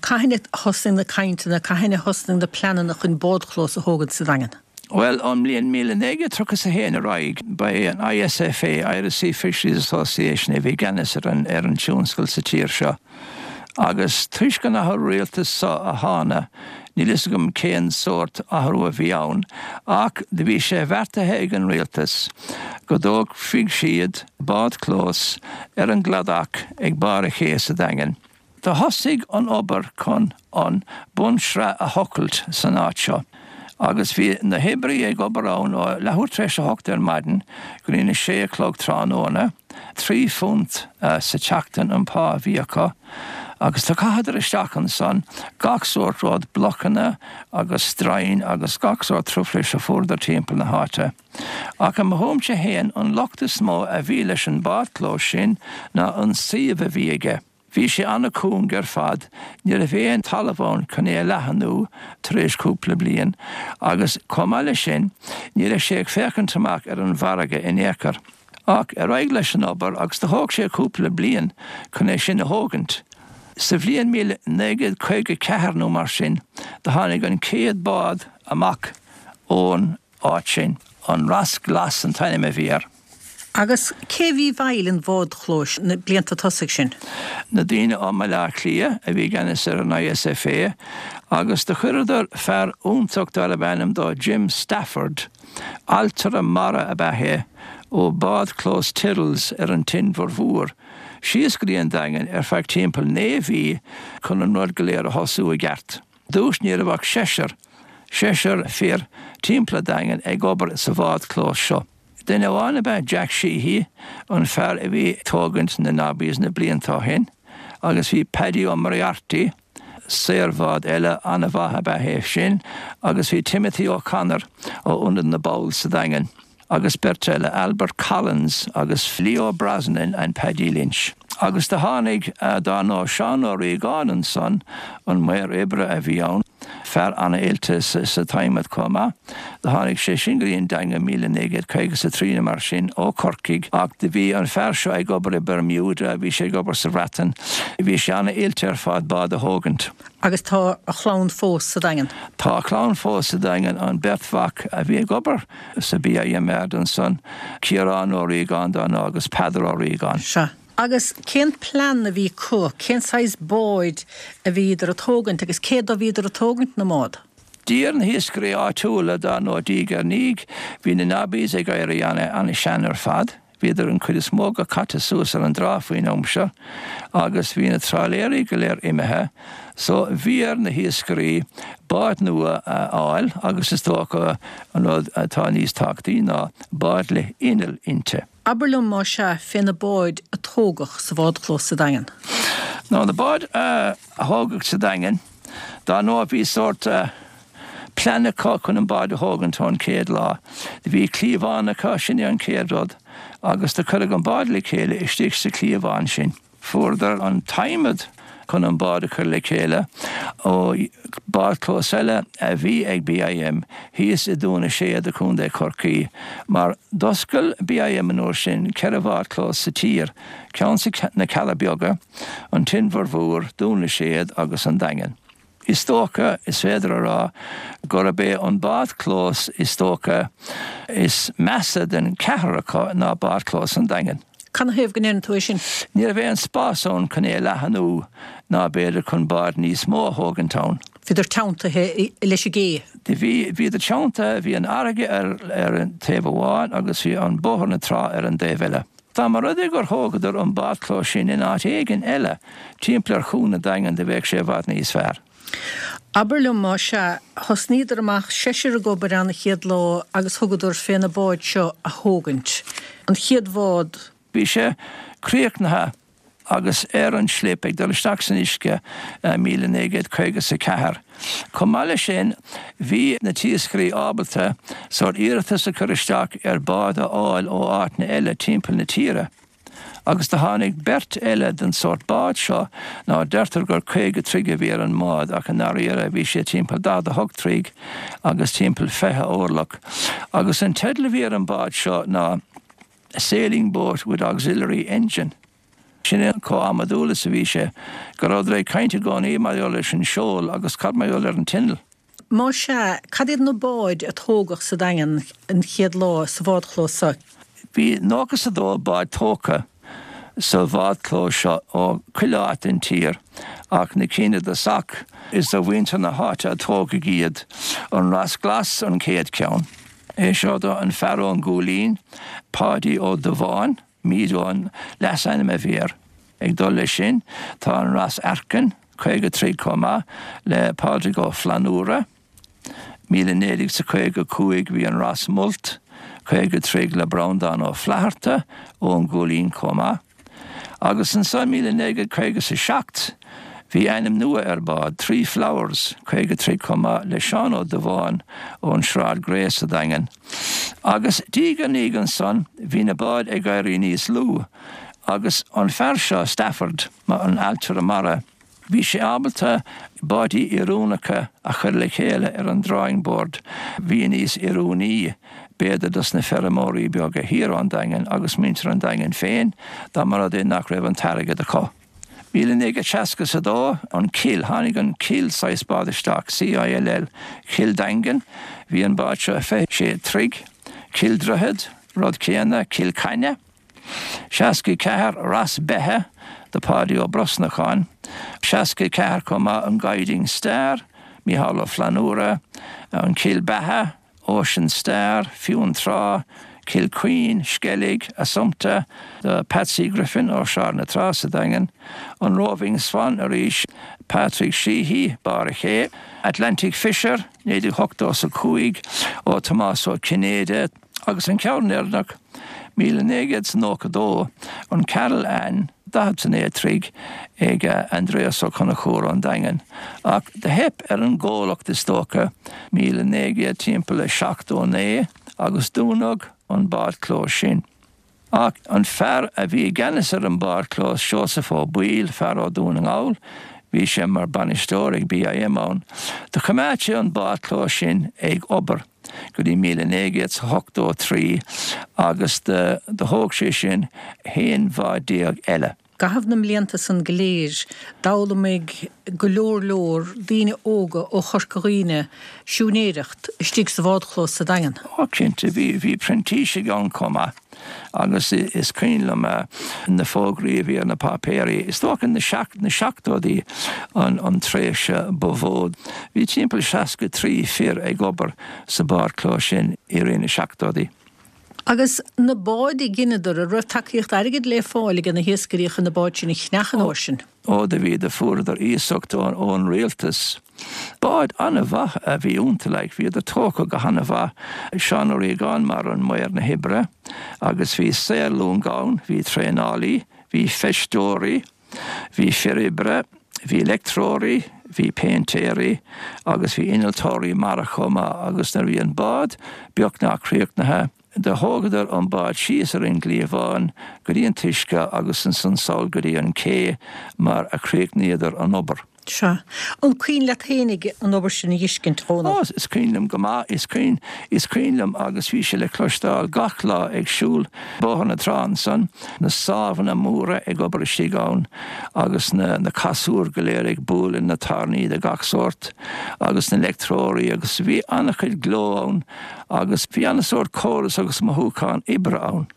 Cathain a thosnaigh na cainteanna, cathain a thosnaigh na pleananna chun bádchlós a thógaint sa Daingean? Bhuel, ón mbliain 1931 ar aghaidh, ba é an ISFA, Irish Sea Fisheries Association, a bhí i gceannas ar an tionscal sa tír seo. Agus toisc an athrú rialtais so a thána, níl fhios agam cén sórt athrú a bhí ann, ach do bhí sé bheartaithe ag an rialtas go dtógfaidh siad bádchlós ar an gcladach ag barr a' ché sa Daingean. Do thosaigh an obair chun an bunshraith a thochailt san áit seo agus bhí na hoibrí ag obair ann ó leathuair tar éis a hocht ar maidin go dtí na sé a chlog tráthnóna. £3 sa tseachtain an pá a bhí acu agus do chaitheadar isteach ansan gach sórt rud, blocanna agus stroighin agus gach sórt truflais a fuaireadar timpeall na háite. Ach i mo thuairimse fhéin an locht is mó a bhí leis an bádchlós sin ná an suíomh a bhí aige. Bhí sé an-cúng ar fad, ní raibh aon talamh ann chun é a leathnú tar éis cúpla bliain agus chomh maith leis sin ní raibh sé ag féachaint amach ar an bhfarraige in aon chor. Ach ar aghaidh leis an obair agus do thóg sé cúpla bliain chun é sin a thógaint. Sa bhliain 1954 nó mar sin do tháinig an chéad bád amach ón áit sin, an Ros Glas an t-ainm a bhí air. Agus cé bhí i bhfeighil an bhádchlóis na blianta tosaigh sin? Na daoine ó mBaile Átha Cliath a bhí i gceannas ar an ISFA agus do chuireadar fear iontach darbh ainm dó Jim Stafford, ailtire mara ab ea é, ó bádchlós Tyrrells ar an tInbhear Mhór. síos go dtí an Daingean ar feadh timpeall 9 mhí chun an rud go léir a thosú i gceart. dtús ní raibh ach seisear, seisear fir timpeall an Daingin ag obair sa bhádchlós seo. Duine amháin ab ea Jack Sheehy, an fear a bhí ag tógaint na Nobbies na blianta ó shin, agus bhí Paddy Ó Moriarty, saor bhád eile an-mhaith ab ea é sin, agus bhí Timothy O'Connor ó Ionad na bPoll sa Daingean. agus beirt eile, Albert Collins agus Leo Brosnan and Paddy Lynch. Agus do tháinig, dár ndóigh, Seán Ó Riagáin ansan, an maor oibre a bhí ann, fear an-oilte sa t-adhmad chomh maith. Do tháinig sé sin go dtí an Daingean 1953 nó mar sin, ó Chorcaigh, ach do bhí an fear seo ag obair i Bermuda, bhí sé ag obair sa Bhreatain, bhí sé an-oilte ar fad bád a thógaint. Agus tá a chlann fós sa Daingean. Tá a chlann fós sa Daingean, an bheirt mhac a bhí ag obair sa BIM yard ansan, Ciarán Ó Riagáin dár ndóigh agus Peadar Ó Riagáin. Sea. Agus cén plean a bhí acu, cén saghas báid a bhíodar a tógaint agus cé dó a bhíodar a tógaint na mbád? D'iarr na hiascairí áitiúla dár ndóigh diaidh ar ndiaidh, bhí na Nobbies ag éirí ana-shean ar fad. Bhíodar an chuid is mó go caite suas ar an dtrá faoin am seo agus bhí na trálaeirí go léir imithe so bhí ar na hiascairí báid nua a fháil agus is dócha an rud atá níos tábhachtaí ná báid le inneall inti. Abair liom más ea fé na báid a tógadh sa bhádchlós sa Daingean. Ná na báid a thógadh sa Daingean, dár ndóigh bhí sórt plean acu chun an bád a thógaint ón chéad lá. Do bhí cliabhán acu, sin é an chéad rud, agus do cuireadh an bád le chéile istigh sa chliabhán sin. Fuaireadar an t-adhmad chun an bád a chur le chéile ó bádchlós eile a bhí ag BIM thíos i Dún na Séad i Contae Chorcaí, mar d'oscail BIM an uair sin 4 bhádchlós sa tír, ceann sa na Cealla Beaga, an tInbhear Mhór, Dún na Séad agus an Daingean. Is dócha, is féidir a rá, gurb é an bádchlós is dócha is measa den cheathrar acu ná bádchlós an Daingin. Canathaobh go ndeireann tú é sin? Ní raibh aon spás ann chun é a leathanú ná b'fhéidir chun báid níos mó a thógaint ann. Bhíodar teanntaithe leis an gcé. Bhí, bhíodar teanntaithe, bhí an fharraige ar ar an taobh amháin agus bhí an bóthar na trá ar an dtaobh eile. Dá mba rud é gur thógadar an bádchlós sin in áit éigin eile timpeall ar chuan an Daingin do bheadh sé i bhfad níos fearr. Abair liom más ea, thosnaíodar amach, seisear ag obair ann an chéad lá agus thugadar fé na báid seo a thógaint. An chéad bhád. Bhí sé críochnaithe agus ar an slip ag dul isteach san uisce i 1954. Chomh maith leis sin, bhí na t-iascairí ábalta sórt iarratas a chur isteach ar bád a fháil ó áiteanna eile timpeall na tíre. Agus do tháinig beirt eile den sórt bád seo ná deirtear gur 50 troigh a bhí ar an mbád ach i ndáiríre bhí sé timpeall 48 troigh agus timpeall 20 orlach. Agus an teideal a bhí ar an bád seo ná sailing boat with auxiliary engine. Sin é chomh amadúil is a bhí sé, go rabhadar ag caint i gcónaí mar gheall leis an seol agus cad mar gheall ar an t-inneall. Más ea, cad iad na báid a tógadh sa Daingean an chéad lá sa bhádchlós seo? Bhí 92 bád tógtha sa bhádchlós seo ó chuile áit den tír ach na cinn i dtosach, is do mhuintir na háite a tógadh iad, an Ros Glas an chéad cheann. É seo do an fear ón gCúilín, Páidí Ó Dubháin, Mído an leasainm a bhí air. Ag dul leis sin tá an Ros Aircinn, 50 troigh chomh maith, le Pádraig Ó Flannúra. 1955 bhí an Ros Molt, 50 troigh le Breandán Ó Flatharta ón gCúilín chomh maith. Agus ansan 1957 bhí ainm nua ar bád, Three Flowers, 50 troigh chomh maith le Seán Ó Dubháin ón Sráid Grey sa Daingean. Agus diaidh ar ndiaidh ansan bhí na báid ag éirí níos lú agus an fear seo, Stafford, an ailtire mara, Bhí sé ábalta báidí oiriúnacha a chur le chéile ar an drawing board. Bhí níos oiriúnaí, b'fhéidir, dos na feirmeoirí beaga thiar ón Daingean agus muintir an Daingin féin dá mba rud é nach raibh an t-airgead acu. 1962, an Cill, tháinig an Cill saghas bád isteach, CILL, Cill Daingean, bhí an bád seo 26 troigh, Cill Droichead, rud céanna, Cill Caine. 64 Ros Beithe do Pháidí Ó Brosnacháin, 64 chomh maith an Guiding Star, Mícheál Ó Flannúra, an Cill Beatha, Ocean Star, Fionntrá, Cill Chaoin, Sceilg, Assumpta, do Patsy Griffin ó Sráid na Trá sa Daingean, an Roving Swan arís, Patrick Sheehy, Barr a' Ché, Atlantic Fisher, 1985, ó Tomás Ó Cinnéide, agus an ceann deireanach, 1992, an Carol Ann, 49 troigh, ag Aindrias Ó Conchúir ón Daingean. Ach do theip ar an gcomhlacht is dócha, 1900 timpeall a 79, agus dúnadh an bádchlós sin. Ach an fear a bhí i gceannas ar an bádchlós, Seosamh Ó Baoill, fear ó Dhún na nGall, bhí sé mar bainisteoir ag BIM ann, do choimeád sé an bádchlós sin ag obair go dtí 1983 agus do thóg sé sin 11 bhád eile. I gcaitheamh na mblianta san go léir, d'fhoghlaimigh go leor leor daoine óga ó Chorca Dhuibhne siúinéireacht istigh sa bhádchlós sa Daingean. Ó cinnte, bhí, bhí printísigh ann chomh maith agus is cuimhin liom na fógraí a bhí ar na páipéirí. Is dócha na na seachtóidí an an tréimhse ba mhó. Bhí timpeall 63 fir ag obair sa bhádchlós sin i rith na seachtóidí. Agus na báid a dheineadar, an raibh tacaíocht airgid le fáil age na hiascairí chun na báid sin a cheannach an uair sin? Ó do bhí, do fuaireadar iasacht ón rialtas. Báid an-mhaith a bhí iontu, like, bhíodar tógtha go han-mhaith. Seán Ó Riagáin mar an maor na hoibre agus bhí saor-long ann, bhí traenálaí, bhí feisteoirí, Bhí fir oibre, bhí leictreoirí, bhí péintéirí agus bhí innealtóirí mara chomh maith agus nuair a bhí an bád beagnach críochnaithe, do thógadar an bád síos ar an gcliabhán go dtí an t-uisce agus ansan sall go dtí an cé mar a chríochnaíodar an obair. Sea. An cuimhin leat fhéinig an obair sin a dh'fheiscint, a Dhónaill? Ó, is cuimhin liom go maith, is cuimhin, is cuimhin liom agus bhí sé le cloisteáil gach lá ag siúl Bóthar na Trá ansan, na sábhanna móra ag obair istigh ann agus na, na casúir go léir ag bualadh na tairní de gach sórt agus na leictreoirí agus bhí an-chuid gleo ann agus bhí an-sórt córas agus mothúchán oibre ann.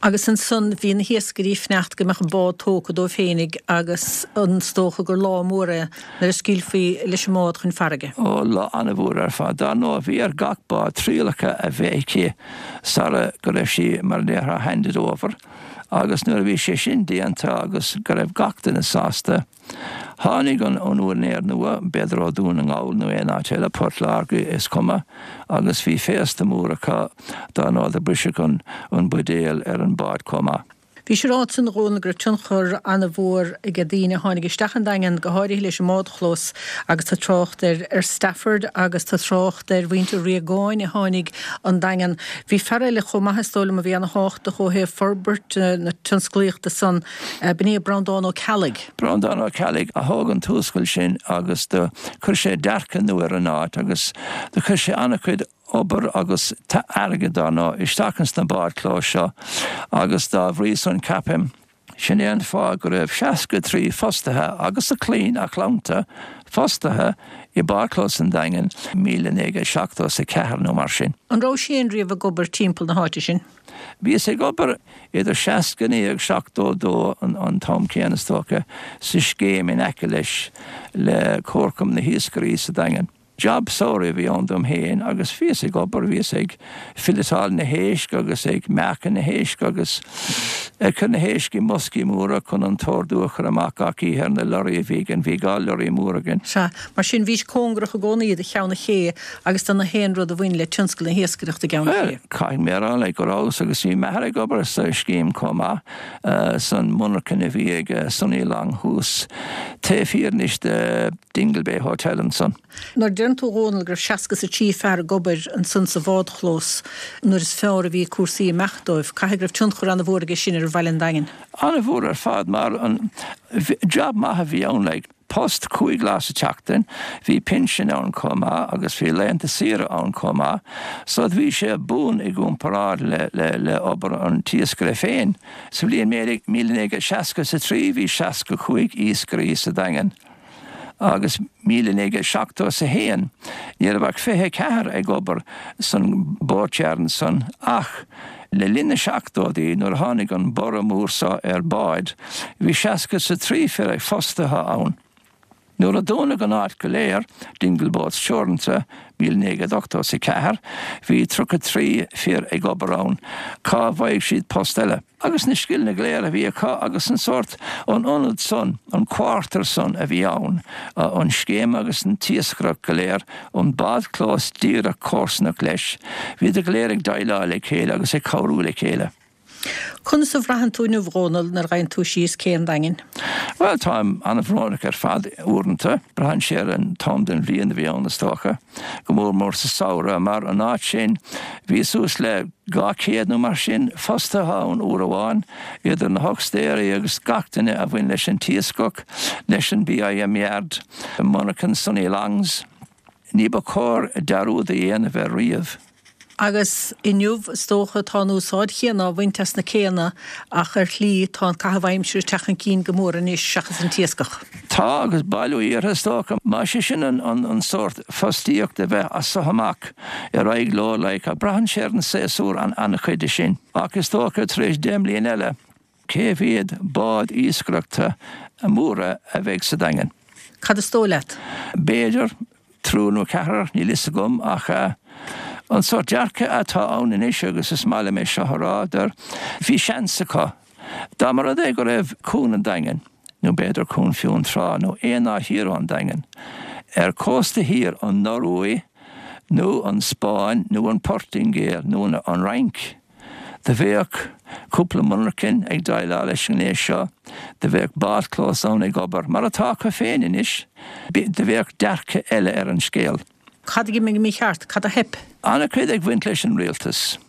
Agus ansan bhí na hiascairí ag fanacht go mbeadh an bád tógtha dóibh féinig agus is dócha gur lá mór é nuair a scaoilfí leis an mbád chun farraige. Ó, lá an-mhór ar fad. Dar ndóigh, bhí ar gach bád trialacha a bheith aici sara go raibh sí, mar a déarfá, handed over agus nuair a bhí sé sin déanta agus go raibh gach duine sásta, Tháinig an úinéir nua, b'fhéidir ó Dhún na nGall nó aon áit eile, Port Láirge, is cuma, agus bhí féasta mór acu, dar ndóigh do briseadh an buidéal ar an bád chomh maith. Bhís ag rá ansan a Dhónaill go raibh tionchar an-mhór age daoine a tháinig isteach an Daingean, go háirithe leis an mbádchlós agus tá trácht ar ar Stafford agus tá trácht ar mhuintir Riagáin a tháinig an Daingean. Bhí fear eile chomh maith is dóigh liom a bhí ana-thábhachtach ó thaobh forbairt na tionsclaíochta san, B'in é Breandán Ó Ceallaigh. Breandán Ó Ceallaigh a thóg an t-uascal sin agus do chuir sé dearcadh nua ar an áit agus do chuir sé an-chuid obair agus airgead dar ndóigh isteach ins na báid chlóis seo agus dá bhrí san ceapaim sin é an fáth go raibh 63 fostaithe agus a clainn, a chlannta fostaithe i bádchlós an Daingin 1974 nó mar sin. An rabhais féin riamh ag obair timpeall na háite sin? Bhíos ag obair idir 69 agus 72, an t-am céanna is dócha, sa scéim in aice leis, le Comharchumann na hIascairí sa Daingean. Jab samhraidh a bhí ann dom féin agus bhíos ag obair, bhíos ag filletáil na héisc agus ag meáchan na héisc agus ag cur na héisc i mboscaí móra chun an t-ordú a chur amach gach oíche ar na lorraí a bhí againn, bhí 2 lorraí mór againn. Sea, mar sin bhís cóngarach i gcónaí do Cheann an Ché agus do na haon rud a bhain le tionscal na hiascaireachta i gCeann an Ché. Caithfidh mé a rá like go rabhas agus bhí m'athair ag obair sa scéim chomh maith, san monarchain a bhí ag Sonny Long thuas taobh thiar anois de Dingle Bay Hotel ansan. Nuair a deireann tú a Dhónaill go raibh seasca is a trí fear ag obair ansan sa bhádchlós nuair is fearr a bhí cúrsaí ag imeacht dóibh, caithfidh go raibh tionchar ana-mhór aige sin ar bhaile an Daingin. Ana-mhór ar fad mar an job maith a bhí ann like. Post 5 lá sa tseachtain, bhí pinsean ann chomh maith agus bhí laethanta saoire ann chomh maith, so bhí sé buan i gcomparáid le le obair an t-iascaire féin. Sa bhliain 1963 bhí 65 iascairí sa Daingean agus 1971 ní raibh ach 24 ag obair san boatyard ansan ach Le linn na seachtóidí, nuair a tháinig an borradh mór seo ar báid, bhí seasca 's a trí fir fostaithe ann. Nuair a dúnadh an áit go léir, Dingle Boats Teoranta, 1984, bhí 33 fir ag obair ann. Cá bhfaigheadh siad post eile? Agus na scileanna go léir a bhí acu agus an sórt, an ionad san, an quarter san a bhí ann, an scéim agus an t-iascaireacht go léir, an bádchlós díreach comharsanach leis, bhíodar go léir ag déileáil le chéile agus ag cabhrú le chéile. Conas a bhraitheann tú inniu, a Dhónaill, nuair a ghabhann tú síos cé an Daingin? Bhuel, táim an-bhrónach ar fad uaireanta. Braitheann sé ar an t-am den bhliain a bhí ann, is dócha. Go mór mór sa samhradh, mar an áit sin, bhí suas le 200 nó mar sin fostaithe ann uair amháin, idir na huxtéirí agus gach duine a bhain leis an t-iascach, leis an BIM Yard, monarchan Sonny Longs. Ní ba chóir dearúd a dhéanamh air riamh. Agus inniu, is dócha, tá an úsáid chéanna á bhaint as na céanna ach ar shlí tá an caitheamh aimsire ag teacht chun cinn go mór anois seachas an t-iascach. Tá, agus bailiú iartha, is dócha. Más é sin an sórt fostaíocht a bheith as so amach ar aghaidh leo, like, braitheann sé ar an séasúr an-chuid de sin. Ach is dócha tar éis 10 mbliain eile, Cé mhéad bád iascaireachta móra a bheidh sa Daingean? Cad is dóigh leat? B'fhéidir triúr nó ceathrar, níl fhios agam, ach an sórt dearcadh atá ann anois, agus is maith liom é seo a rá, deir, bhí seans acu. Dá mba rud é go raibh Cuan an Daingin, nó b'fhéidir Cuan Fionntrá nó aon áit thiar ón Daingean, ar cósta thiar an Noruaidh nó an Spáinn nó an Portaingéil nó an Fhrainc, Do bheadh cúpla monarchain ag déileáil leis an ngné seo, do bheadh bádchlós ann ag obair, mar atá acu féin anois, do bheadh dearcadh eile ar an scéal. Cad a d'imigh mícheart? Cad a theip? An-chuid ag bhaint leis an rialtas.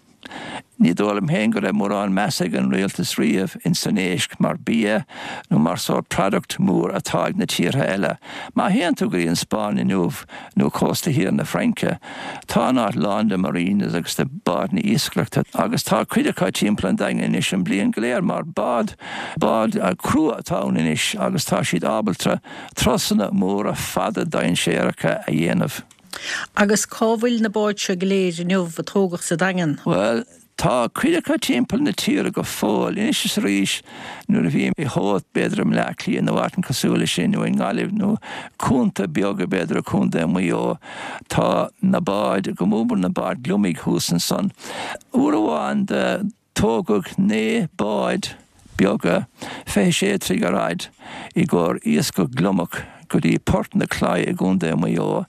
Ní dóigh liom féin go raibh mórán meas ag an rialtas riamh ins an éisc mar bia nó mar sórt product mór atá ag na tíortha eile. Má théann tú go dtí an Spáinn inniu nó cósta thiar na Fraince, Tá an áit lán de marinas agus de bádanna iascaireachta agus tá cuid acu timpeall an Daingin anois an bliain go léir mar bád, bád crua atá ann anois agus tá siad ábalta turasanna móra fada dainséaracha a dhéanamh. Agus cá bhfuil na báid seo go léir inniu a tógadh sa Daingean? Bhuel, Tá cuid acu timpeall na tíre go fóill, anois is arís nuair a bhím i Howth, b'fhéidir i mBleá Cliath nó áit cosúil leis sin, nó i nGaillimh nó cuanta beaga b'fhéidir i Contae Mhaigh Eo, tá na báid, go mór mór na báid gliomaigh thuas ansan. Uair amháin do tógadh 9 bád beaga, 26 troigh ar fhaid, i gcomhair iascach gliomach go dtí Port na Claí i gContae Mhaigh Eo,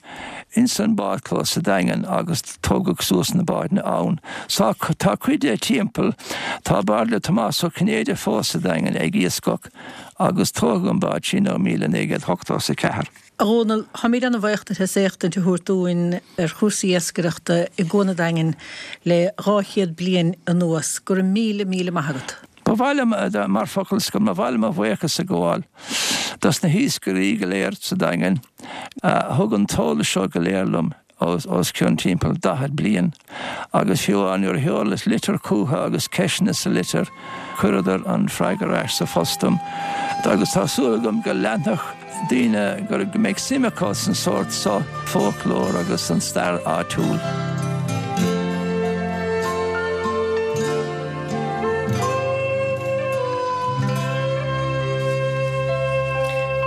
ins an bádchlós sa Daingean agus tógadh suas na bádanna ann. Sá tá cuid de timpeall, tá bád le Tomás Ó Cinnéide fós sa Daingean ag iascach agus tógadh an bád sin ó 1984. A Dhónaill, táimid ana-bhaoch duit as éachtaint a thabhairt dúinn ar chúrsaí iascaireachta i gCuan an Daingin le 200 bliain anuas. Go raibh míle, míle maith agat. Ba mhaith liom, mar focal scoir, ba mhaith liom mo bhuíochas a ghabháil dos na hiascairí go léir sa Daingean a thug an t-eolas seo go léir liom os cionn timpeall 40 bliain agus fiú amháin nuair a sheolas litir chucu agus ceisteanna sa litir, chuireadar an freagra ar ais sa phost dom agus tá súil agam go leanfadh daoine, go mbeidh suim acu san sórt seo fóclóir agus san stair áitiúil.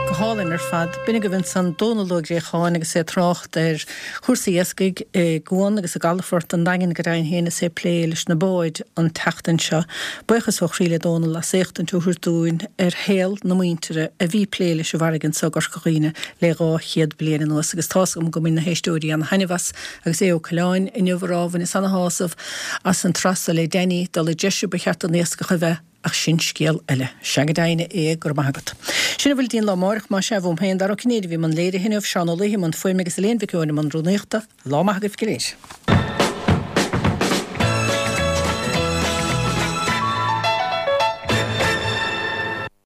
Go hálainn ar fad. B'in agaibh ansan Dónal Ó Gréacháin agus é ag trácht ar chúrsaí iascaigh i gcuan agus i gcalafort an Daingin go deimhin féin is é ag plé leis na báid an tseachtain seo. Buíochas ó chroí le Dónal as éachtaint a thabhairt dúinn ar shaol na muintire a bhí ag plé leis an bhfarraige anso i gCorca Dhuibhne le 200 bliain anuas agus tá's agam go mbain na héisteoirí ana thaitneamh as agus Aodh Ó Coileáin inniu ag rá bhaineas ana shásamh as an tsraith so le Danny dul i dtreise ba cheart don iascach a bheith Ach sin scéal eile. Sea go deimhin, a Aodh, go raibh maith agat. Sin a bhfuil dínn lá amáireach, más ea, uaim féin, Dara Ó Cinnéide a bhí i mbun léirithe inniu, Seán Ó Laoithe i mbun fuaime agus Elaine Mhic Eoin i mbun rúnaíochta. Lá maith agaibh go léir.